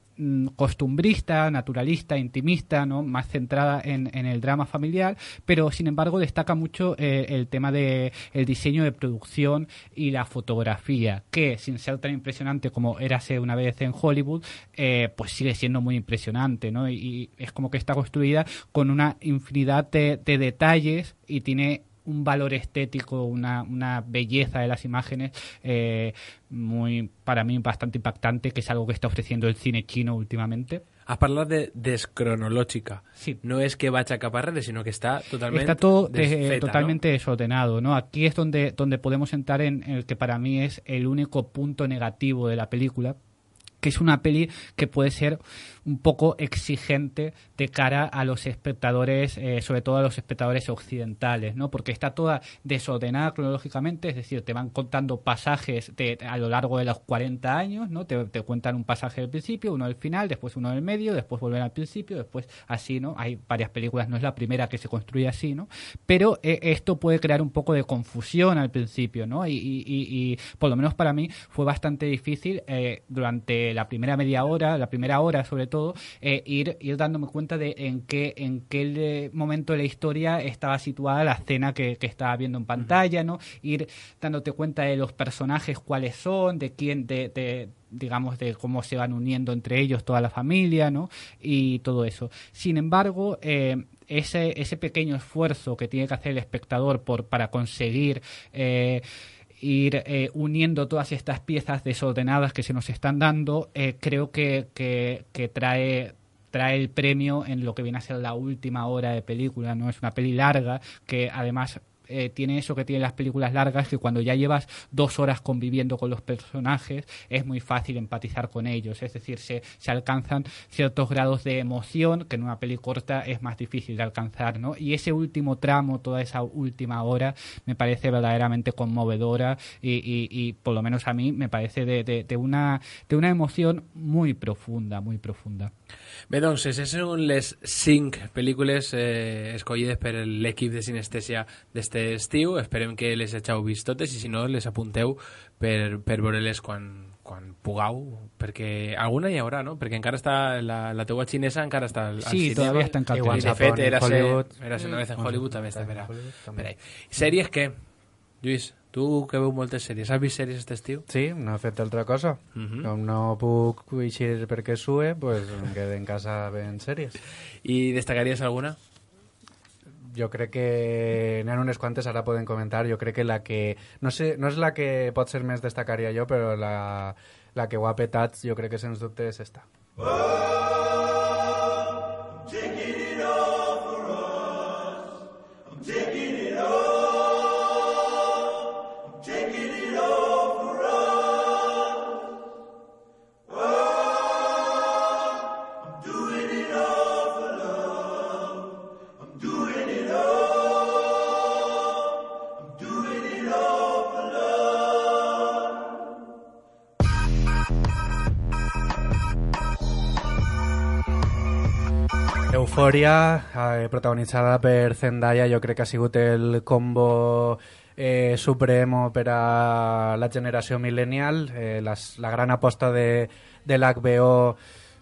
costumbrista, naturalista, intimista, ¿no? Más centrada en, en el drama familiar, pero sin embargo destaca mucho eh, el tema de el diseño de producción y la fotografía, que sin ser tan impresionante como Érase una vez en Hollywood, eh, pues sigue siendo muy impresionante, ¿no? Y, y es como que está construida con una infinidad de, de detalles y tiene un valor estético, una, una belleza de las imágenes eh, muy, para mí, bastante impactante, que es algo que está ofreciendo el cine chino últimamente. Has parlat de descronològica. Sí. No és que vaig a cap arrere, sinó que està totalment Está todo de- desfeta, totalmente desordenado, ¿no? Aquí es donde, donde podemos entrar en el que para mí es el único punto negativo de la película, que es una peli que puede ser un poco exigente de cara a los espectadores, eh, sobre todo a los espectadores occidentales, ¿no? Porque está toda desordenada cronológicamente, es decir, te van contando pasajes de, a lo largo de los cuarenta años, ¿no? Te, te cuentan un pasaje del principio, uno del final, después uno del medio, después vuelven al principio, después así, ¿no? Hay varias películas, no es la primera que se construye así, ¿no? Pero eh, esto puede crear un poco de confusión al principio, ¿no? Y, y, y, y por lo menos para mí fue bastante difícil eh, durante la primera media hora, la primera hora sobre todo, eh, ir, ir dándome cuenta de en qué, en qué momento de la historia estaba situada la escena que, que estaba viendo en pantalla, ¿no? Ir dándote cuenta de los personajes, cuáles son, de quién, de, de digamos, de cómo se van uniendo entre ellos toda la familia, ¿no? Y todo eso. Sin embargo, eh, ese, ese pequeño esfuerzo que tiene que hacer el espectador por, para conseguir eh, ir eh, uniendo todas estas piezas desordenadas que se nos están dando, eh, creo que, que, que trae trae el premio en lo que viene a ser la última hora de película, ¿no? Es una peli larga que además eh, tiene eso que tienen las películas largas, que cuando ya llevas dos horas conviviendo con los personajes es muy fácil empatizar con ellos, es decir, se, se alcanzan ciertos grados de emoción que en una peli corta es más difícil de alcanzar, ¿no? Y ese último tramo, toda esa última hora, me parece verdaderamente conmovedora y, y, y por lo menos a mí me parece de, de, de, una, de una emoción muy profunda, muy profunda. Bé, doncs, aquestes són les cinc pel·lícules eh, escollides per l'equip de Sinestèsia d'este estiu. Esperem que les hàgiu vist totes i si no les apunteu per, per veure-les quan, quan pugueu, perquè alguna hi haurà, no? Perquè encara està la, la teua xinesa encara està al, al sí, cinema. todavía está en cartelera. I de fet, era Hollywood. Era una vez en Hollywood, també està per, també. per ahí. Sèries què? Lluís, tu que veu moltes sèries, has vist sèries aquest estiu? Sí, no he fet altra cosa. Uh -huh. Com no puc eixir perquè sue, pues em quedo en casa veient sèries. I destacaries alguna? Jo crec que n'hi ha unes quantes, ara poden comentar. Jo crec que la que... No sé, no és la que pot ser més destacaria jo, però la, la que ho ha petat jo crec que sens dubte és esta. Eufòria, eh, protagonitzada per Zendaya, jo crec que ha sigut el combo eh, supremo per a la generació millennial, eh, las, la gran aposta de, de l'H B O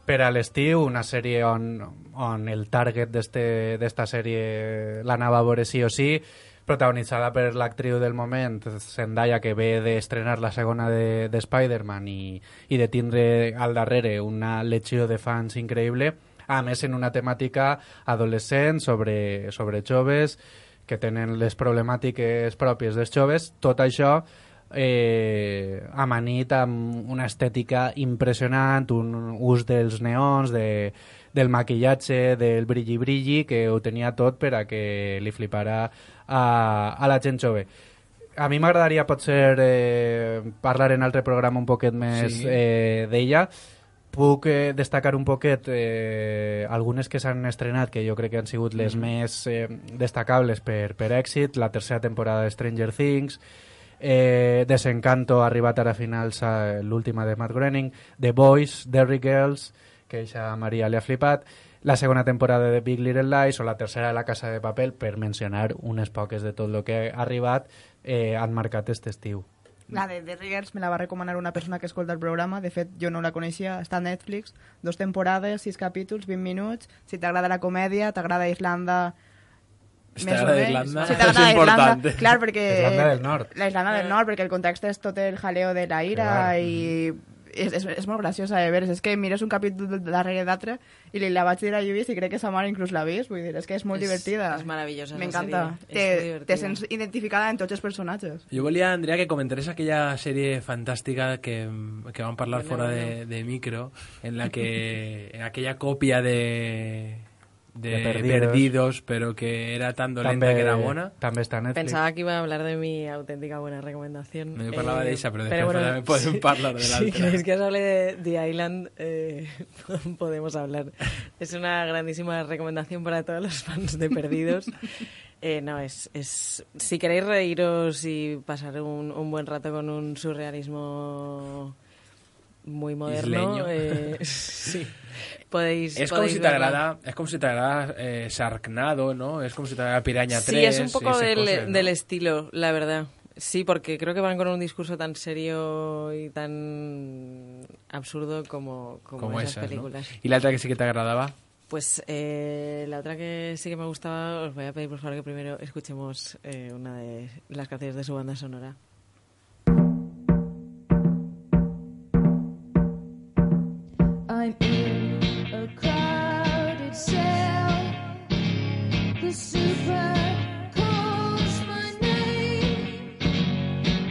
per a l'estiu, una sèrie on, on el target d'esta sèrie l'anava a veure sí o sí, protagonitzada per l'actriu del moment, Zendaya, que ve d'estrenar la segona de, de Spider-Man i, i de tindre al darrere una legió de fans increïble, a més en una temàtica adolescent sobre, sobre joves que tenen les problemàtiques pròpies dels joves, tot això eh, amanit amb una estètica impressionant, un ús dels neons, de, del maquillatge, del brilli-brilli, que ho tenia tot per a que li flipara a, a la gent jove. A mi m'agradaria potser eh, parlar en altre programa un poquet més sí. eh, d'ella. Puc eh, destacar un poquet eh, algunes que s'han estrenat, que jo crec que han sigut les mm. més eh, destacables per, per èxit. La tercera temporada de Stranger Things, eh, Desencanto ha arribat ara a finals a l'última de Matt Groening, The Boys, Derry Girls, que a Maria li ha flipat, la segona temporada de Big Little Lies o la tercera de La Casa de Papel, per mencionar unes poques de tot el que ha arribat, eh, han marcat aquest estiu. La de The Riggers me la va recomanar una persona que escolta el programa. De fet, jo no la coneixia. Està a Netflix. Dos temporades, sis capítols, vint minuts. Si t'agrada la comèdia, t'agrada Islanda... Si t'agrada Irlanda, si t'agrada és important. Irlanda, clar, perquè... Irlanda del Nord. La Irlanda del Nord, perquè el context és tot el jaleo de la ira clar. I... És, és, és molt graciosa de veure. És que mires un capítol darrere d'altre i li la vaig dir a Lluís i crec que sa mare inclús l'ha vist. Vull dir, és que és molt és, divertida. És meravellosa. M'encanta. Te, te sents identificada en tots els personatges. Jo volia, Andrea, que comentares aquella sèrie fantàstica que, que vam parlar bueno, fora bueno. De, de micro, en la que en aquella còpia de... De, de perdidos. perdidos, pero que era tan dolenta també, que era bona. També està en Netflix. Pensaba que iba a hablar de mi auténtica buena recomendación. No, yo parlava eh, de esa, pero después pero bueno, también podemos sí, hablar de la si otra. Si queréis que os hable de The Island, eh, podemos hablar. Es una grandísima recomendación para todos los fans de Perdidos. Eh, no, es, es... Si queréis reíros y pasar un, un buen rato con un surrealismo muy moderno, eh, sí. Podéis, es, podéis como si te agrada, es como si te agrada eh, Sharknado, ¿no? Es como si te agrada Piraña tres. Sí, es un poco del, cosas, ¿no? del estilo, la verdad. Sí, porque creo que van con un discurso tan serio y tan absurdo como, como, como esas, esas películas. ¿No? ¿Y la otra que sí que te agradaba? Pues eh, la otra que sí que me gustaba, os voy a pedir por favor que primero escuchemos eh, una de las canciones de su banda sonora. I'm in a crowded cell. The super calls my name.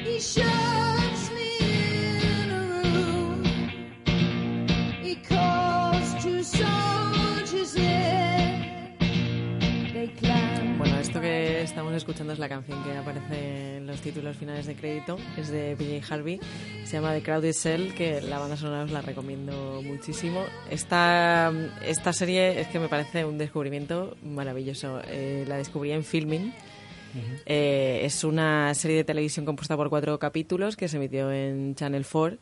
He shoves me in a room. He calls two soldiers there. They climb. Bueno, esto que estamos escuchando es la canción que aparece en los títulos finales de crédito, es de P J Harvey, se llama The Crowded Cell, que la banda sonora os la recomiendo muchísimo. Esta, esta serie es que me parece un descubrimiento maravilloso, eh, la descubrí en Filmin. Uh-huh. eh, es una serie de televisión compuesta por cuatro capítulos que se emitió en Channel cuatro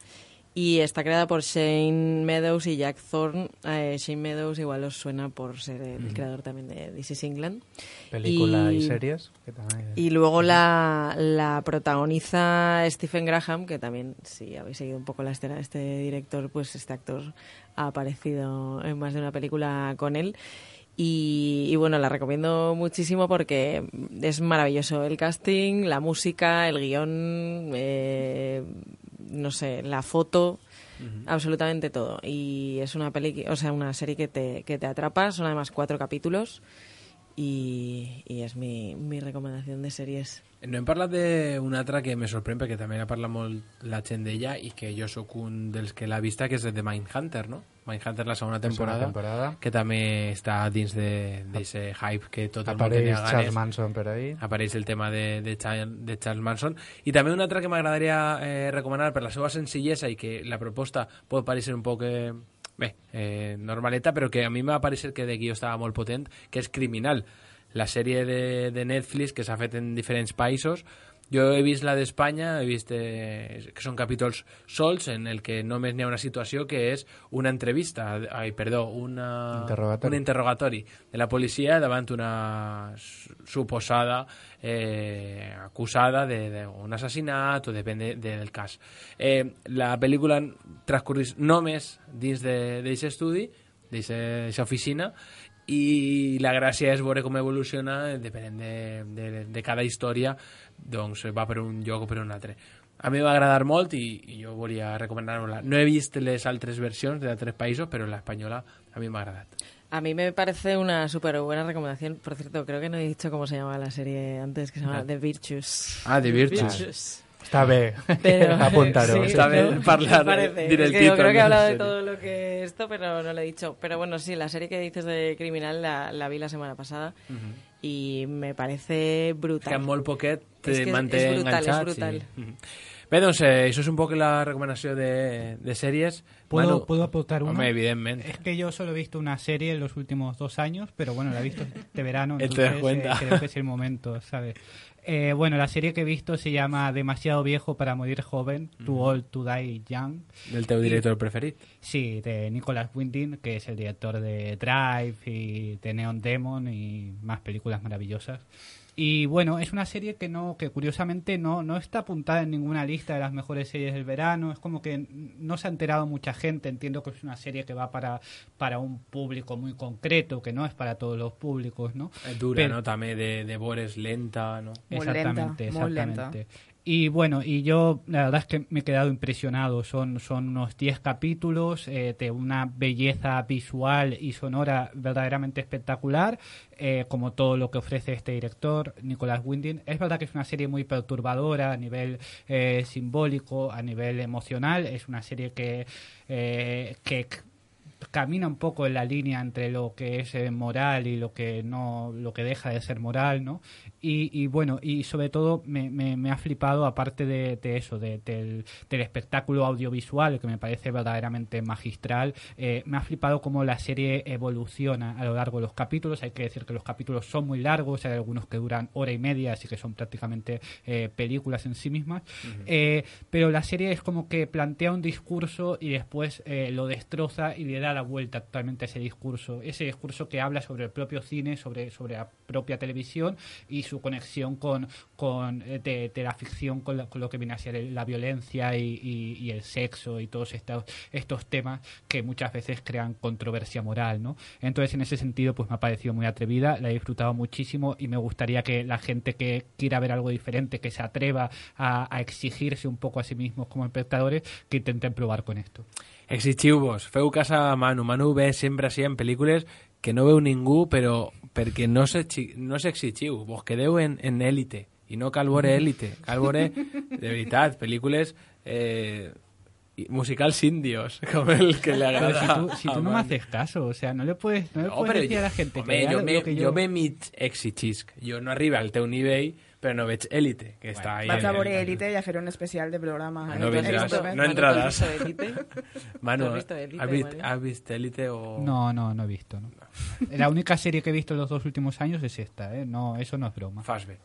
y está creada por Shane Meadows y Jack Thorne. eh, Shane Meadows igual os suena por ser el uh-huh. creador también de This Is England. Película y, y series. Que también... Y luego uh-huh. la, la protagoniza Stephen Graham, que también, si habéis seguido un poco la escena de este director, pues este actor ha aparecido en más de una película con él. Y, y bueno, la recomiendo muchísimo porque es maravilloso el casting, la música, el guión, eh, no sé, la foto, uh-huh. absolutamente todo. Y es una peli, o sea, una serie que te, que te atrapa. Son además cuatro capítulos y, y és mi, mi recomanació de sèries. No hem parlat d'una altra que me sorprèn perquè també ha parlat molt la gent d'ella i que jo sóc un dels que l'ha vista, que és de Mindhunter, no? Mindhunter, la segona temporada, temporada. que també està dins d'aquest hype que tot el apareix món tenia ganes. Charles Manson per ahí. Apareix el tema de, de, Charles, de Charles Manson. I també una altra que m'agradaria eh, recomanar per la seva senzillesa i que la proposta pot parecer un poc... Eh, bé, eh, normaleta, però que a mi m'ha parecer que de guió estava molt potent, que és Criminal, la sèrie de, de Netflix que s'ha fet en diferents països. Jo he vist la d'Espanya, he vist eh, que són capítols sols en el que només n'hi ha una situació que és una entrevista, ai, perdó, una, interrogatori. un interrogatori de la policia davant una suposada eh, acusada d'un assassinat o depèn de, de, del cas. Eh, la pel·lícula transcorreix només dins d'aquest estudi, d'aquesta oficina, i la gràcia és veure com evoluciona depenent de, de, de cada història, doncs va per un lloc o per un altre. A mi va agradar molt i, i jo volia recomanar-la. No he vist les altres versions de altres països, però l'espanyola a mi m'ha agradat. A mí me parece una súper buena recomendación. Por cierto, creo que no he dicho cómo se llama la serie antes, que se llama no. The Virtues. Ah, The Virtues. Virtues. Está bien, pero, apúntalo. Sí, está bien ¿no? hablar, dir el título. Creo que he hablado de todo lo que esto, pero no lo he dicho. Pero bueno, sí, la serie que dices de Criminal la, la vi la semana pasada uh-huh. y me parece brutal. Que amb molt poquet te es que manté és, és brutal, enganxat. És brutal. Sí. Uh-huh. Bé, doncs, eh, això és un poc la recomanació de, de sèries. ¿Puedo, Manu, ¿Puedo aportar una? Hombre, evidentemente. Es que yo solo he visto una serie en los últimos dos años, pero bueno, la he visto este verano, entonces entonces cuenta. Eh, creo que es el momento, ¿sabes? Eh, bueno, la serie que he visto se llama Demasiado viejo para morir joven, Too Old to Die Young. ¿Del teu director preferit? Sí, de Nicholas Winding, que es el director de Drive y de Neon Demon y más películas maravillosas. Y bueno, es una serie que no que curiosamente no, no está apuntada en ninguna lista de las mejores series del verano. Es como que no se ha enterado mucha gente. Entiendo que es una serie que va para, para un público muy concreto, que no es para todos los públicos, ¿no? Es dura, Pero, ¿no? También de, de Bores lenta, ¿no? Muy exactamente, lenta, muy exactamente. lenta. Y bueno, y yo la verdad es que me he quedado impresionado. Son, son unos diez capítulos eh, de una belleza visual y sonora verdaderamente espectacular, eh, como todo lo que ofrece este director, Nicholas Winding. Es verdad que es una serie muy perturbadora a nivel eh, simbólico, a nivel emocional. Es una serie que, eh, que camina un poco en la línea entre lo que es eh, moral y lo que no, lo que deja de ser moral, ¿no? Y, y bueno, y sobre todo me, me, me ha flipado, aparte de, de eso, de, del, del espectáculo audiovisual, que me parece verdaderamente magistral, eh, me ha flipado cómo la serie evoluciona a lo largo de los capítulos. Hay que decir que los capítulos son muy largos, hay algunos que duran hora y media, así que son prácticamente eh, películas en sí mismas, uh-huh. eh, pero la serie es como que plantea un discurso y después eh, lo destroza y le da la vuelta totalmente a ese discurso, ese discurso que habla sobre el propio cine, sobre, sobre la propia televisión y su conexión con, con de, de la ficción con, la, con lo que viene a ser la violencia y, y, y el sexo y todos estos, estos temas que muchas veces crean controversia moral, ¿no? Entonces, en ese sentido, pues me ha parecido muy atrevida, la he disfrutado muchísimo y me gustaría que la gente que quiera ver algo diferente, que se atreva a, a exigirse un poco a sí mismos como espectadores, que intenten probar con esto. Exigiu-vos, feu cas a Manu. Manu ve sempre així en pel·lícules que no veu ningú, però perquè no s'exigiu. Vos quedeu en, en Élite, i no cal veure Élite, cal veure, de veritat, pel·lícules eh, musicals indios, como el que le agrada. Pero si tú, si tú no me haces caso, o sea, no le puedes, no le No, puedes però decir jo, a la gente home, que jo, vea me, lo que yo... jo ve mig exigisc. Jo no arriba al teu nivell, però no veig Élite, que està ahí. Vaig a veure Élite i a fer un especial de programa. No, eh? vendràs, Esto, no entraràs. Manu, ¿Has visto Élite, ¿has visto, Manu? ¿has visto Élite o...? No, no, no he visto. No. La única serie que he visto en los dos últimos años es esta, ¿eh? No, eso no es broma. Fas bé.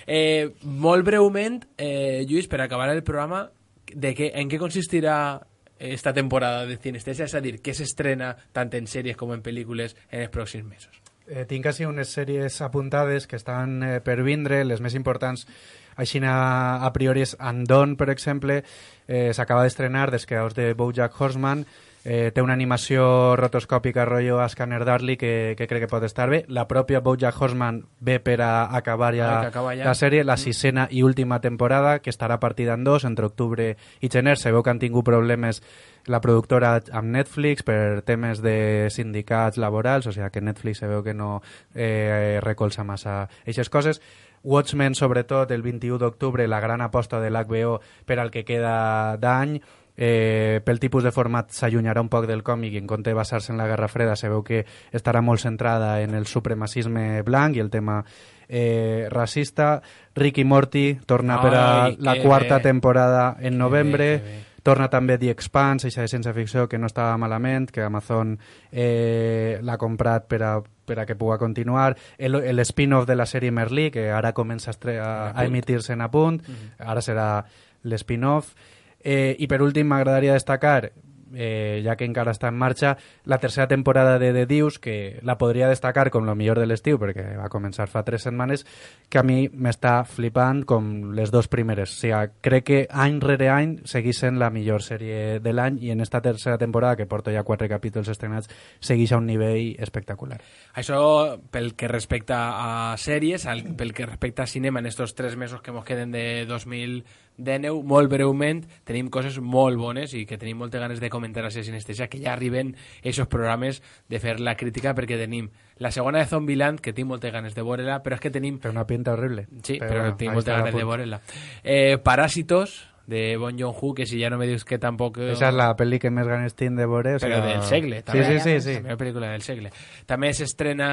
Eh, molt breument, eh, Lluís, per acabar el programa, de què, en què consistirà esta temporada de Cinestesia? És a dir, què s'estrena tant en sèries com en pel·lícules en els pròxims mesos? Eh, tinc així unes sèries apuntades que estan eh, per vindre, les més importants així a, a priori és Andon, per exemple, eh, s'acaba d'estrenar dels creadors de BoJack Horseman, eh, té una animació rotoscòpica rotllo a Scanner Darkly que, que crec que pot estar bé. La pròpia BoJack Horseman ve per a acabar ja, ah, acaba ja. la sèrie, la sisena i última temporada, que estarà partida en dos, entre octubre i gener. Se veu que han tingut problemes la productora amb Netflix per temes de sindicats laborals, o sigui que Netflix se veu que no eh, recolza massa aquestes coses. Watchmen, sobretot, el vint-i-u d'octubre, la gran aposta de l'H B O per al que queda d'any. Eh, pel tipus de format s'allunyarà un poc del còmic i en compte de basar-se en la Guerra Freda se veu que estarà molt centrada en el supremacisme blanc i el tema eh, racista. Rick i Morty torna Ai, per a la quarta bé. temporada en novembre. Bé, bé. Torna també The Expanse, eixa de ciència-ficció que no estava malament, que Amazon eh, l'ha comprat per a, per a que pugui continuar. El, el spin-off de la sèrie Merlí, que ara comença a, estre- a, a emitir-se en apunt, uh-huh. Ara serà l'spin-off. Eh, I per últim m'agradaria destacar, eh, ja que encara està en marxa, la tercera temporada de The Deuce, que la podria destacar com lo millor de l'estiu, perquè va començar fa tres setmanes, que a mi m'està flipant com les dos primeres. O sigui, crec que any rere any segueix sent la millor sèrie de l'any i en esta tercera temporada, que porto ja quatre capítols estrenats, segueix a un nivell espectacular. Això pel que respecta a sèries, al, pel que respecta a cinema en estos tres mesos que ens queden de dos mil dinou, molt breument, tenim coses molt bones i que tenim moltes ganes de comentar a ser Cinestesia, que ja arriben aquests programes de fer la crítica, perquè tenim la segona de Zombieland, que tinc moltes ganes de veure-la, però és que tenim... Té una pinta horrible. Sí, però, però però bueno, tinc moltes ganes de veure-la. Eh, Paràsitos, de Bong Joon-ho, que si ja no me dius que tampoc... Esa és la pel·li que més ganes tinc de veure. O Però sea... del segle, també. Sí, sí, sí, sí. La meva pel·lícula del segle. També s'estrena,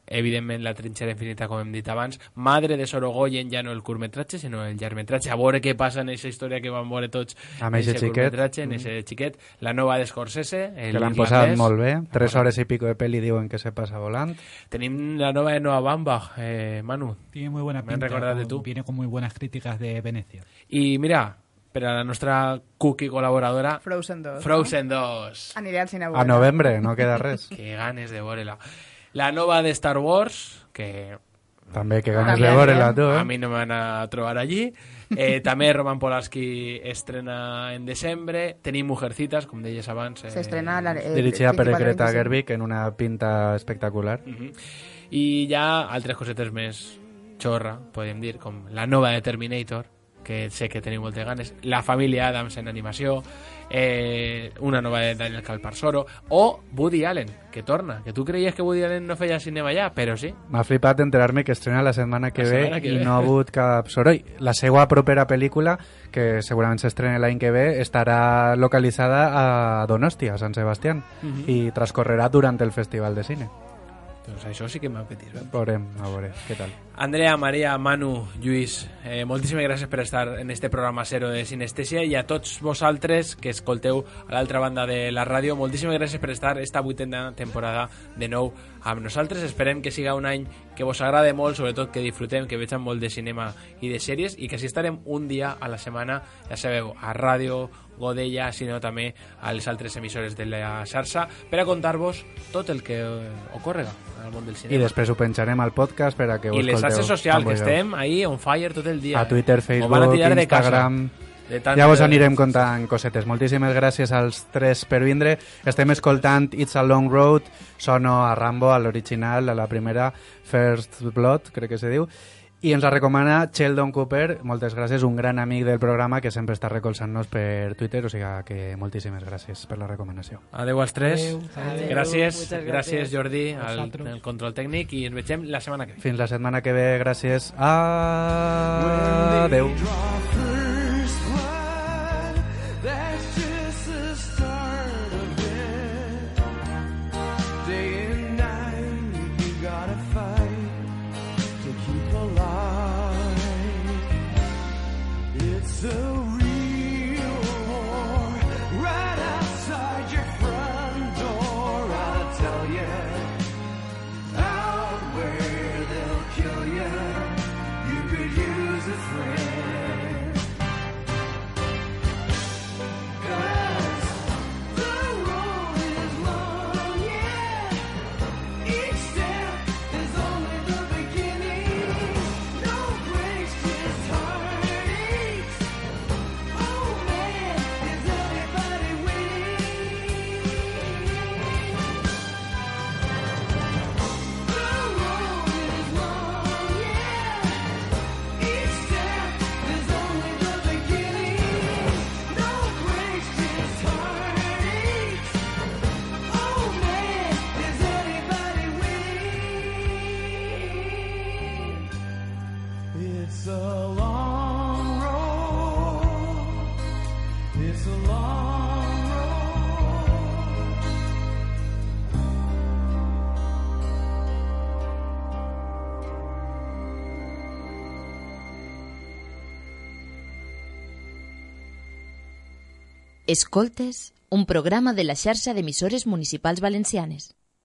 evidentment, La trinxera infinita, com hem dit abans. Madre de Sorogoyen, ja no el curtmetratge, sinó el llargmetratge. A veure què passa en aquesta història que vam veure tots amb ese xiquet. En ese xiquet. La nova de Scorsese, el que l'han posat molt bé. Tres hores y pico de peli diuen que se passa volant. Tenim la nova de Noah Baumbach, eh, Manu. Tiene muy buena pinta. Recordat de tu. Viene con muy buenas críticas de Venecia. Y mira... per a la nostra cookie col·laboradora Frozen dos. Frozen dos. Aniré al cine a a novembre, no queda res. Que ganes de veure-la. La nova de Star Wars, que... També que ganes de veure-la, tu, eh? A mi no me van a trobar allí. Eh, també Roman Polanski estrena en desembre. Tenim Mujercitas, com deies abans. Eh, S'estrena... La, eh, dirigida per Greta Gerwig en una pinta espectacular. Uh-huh. I ja altres cosetes més xorra, podem dir, com la nova de Terminator, que sé que teniu moltes ganes, La família Adams en animació, eh, una nova de Daniel Calparsoro, o Woody Allen, que torna, que tu creies que Woody Allen no feia cinema ja, però sí. M'ha flipat enterar-me que estrena la setmana que la ve setmana que i ve. no ha hagut cap soroll. La seva propera pel·lícula, que segurament s'estrena l'any que ve, estarà localitzada a Donosti, a Sant Sebastián, Uh-huh. i transcorrerà durant el Festival de Cine. Doncs això sí que m'ha petit. Veurem, a veure, què tal. Andrea, Maria, Manu, Lluís, eh, moltíssimes gràcies per estar en este programa zero de Cinestesia, i a tots vosaltres que escolteu a l'altra banda de la ràdio, moltíssimes gràcies per estar esta vuitena temporada de nou amb nosaltres. Esperem que siga un any que vos agrade molt, sobretot que disfrutem, que vegem molt de cinema i de sèries, i que així estarem un dia a la setmana, ja sabeu, a Ràdio Godella, sinó també a les altres emissores de la xarxa, per a contar-vos tot el que ocorrega al món del cinema. I després ho penjarem al podcast per a que ho I les escolteu. xarxes socials, que estem ahí on fire tot el dia. A Twitter, Facebook, van a tirar de Instagram... De tant ja vos de... anirem contant cosetes. Moltíssimes gràcies als tres per vindre. Estem escoltant It's a Long Road, sono a Rambo, a l'original, a la primera, First Blood, crec que se diu, i ens la recomana Sheldon Cooper. Moltes gràcies, un gran amic del programa que sempre està recolzant-nos per Twitter, o sigui que moltíssimes gràcies per la recomanació. Adeu als tres. Adeu. Adeu. Gràcies, Adeu. gràcies Jordi al, Vosaltres. al control tècnic, i ens vegem la setmana que ve. Fins la setmana que ve, gràcies. Adeu. First blood, that's just Escoltes, un programa de la xarxa d'emissores municipals valencianes.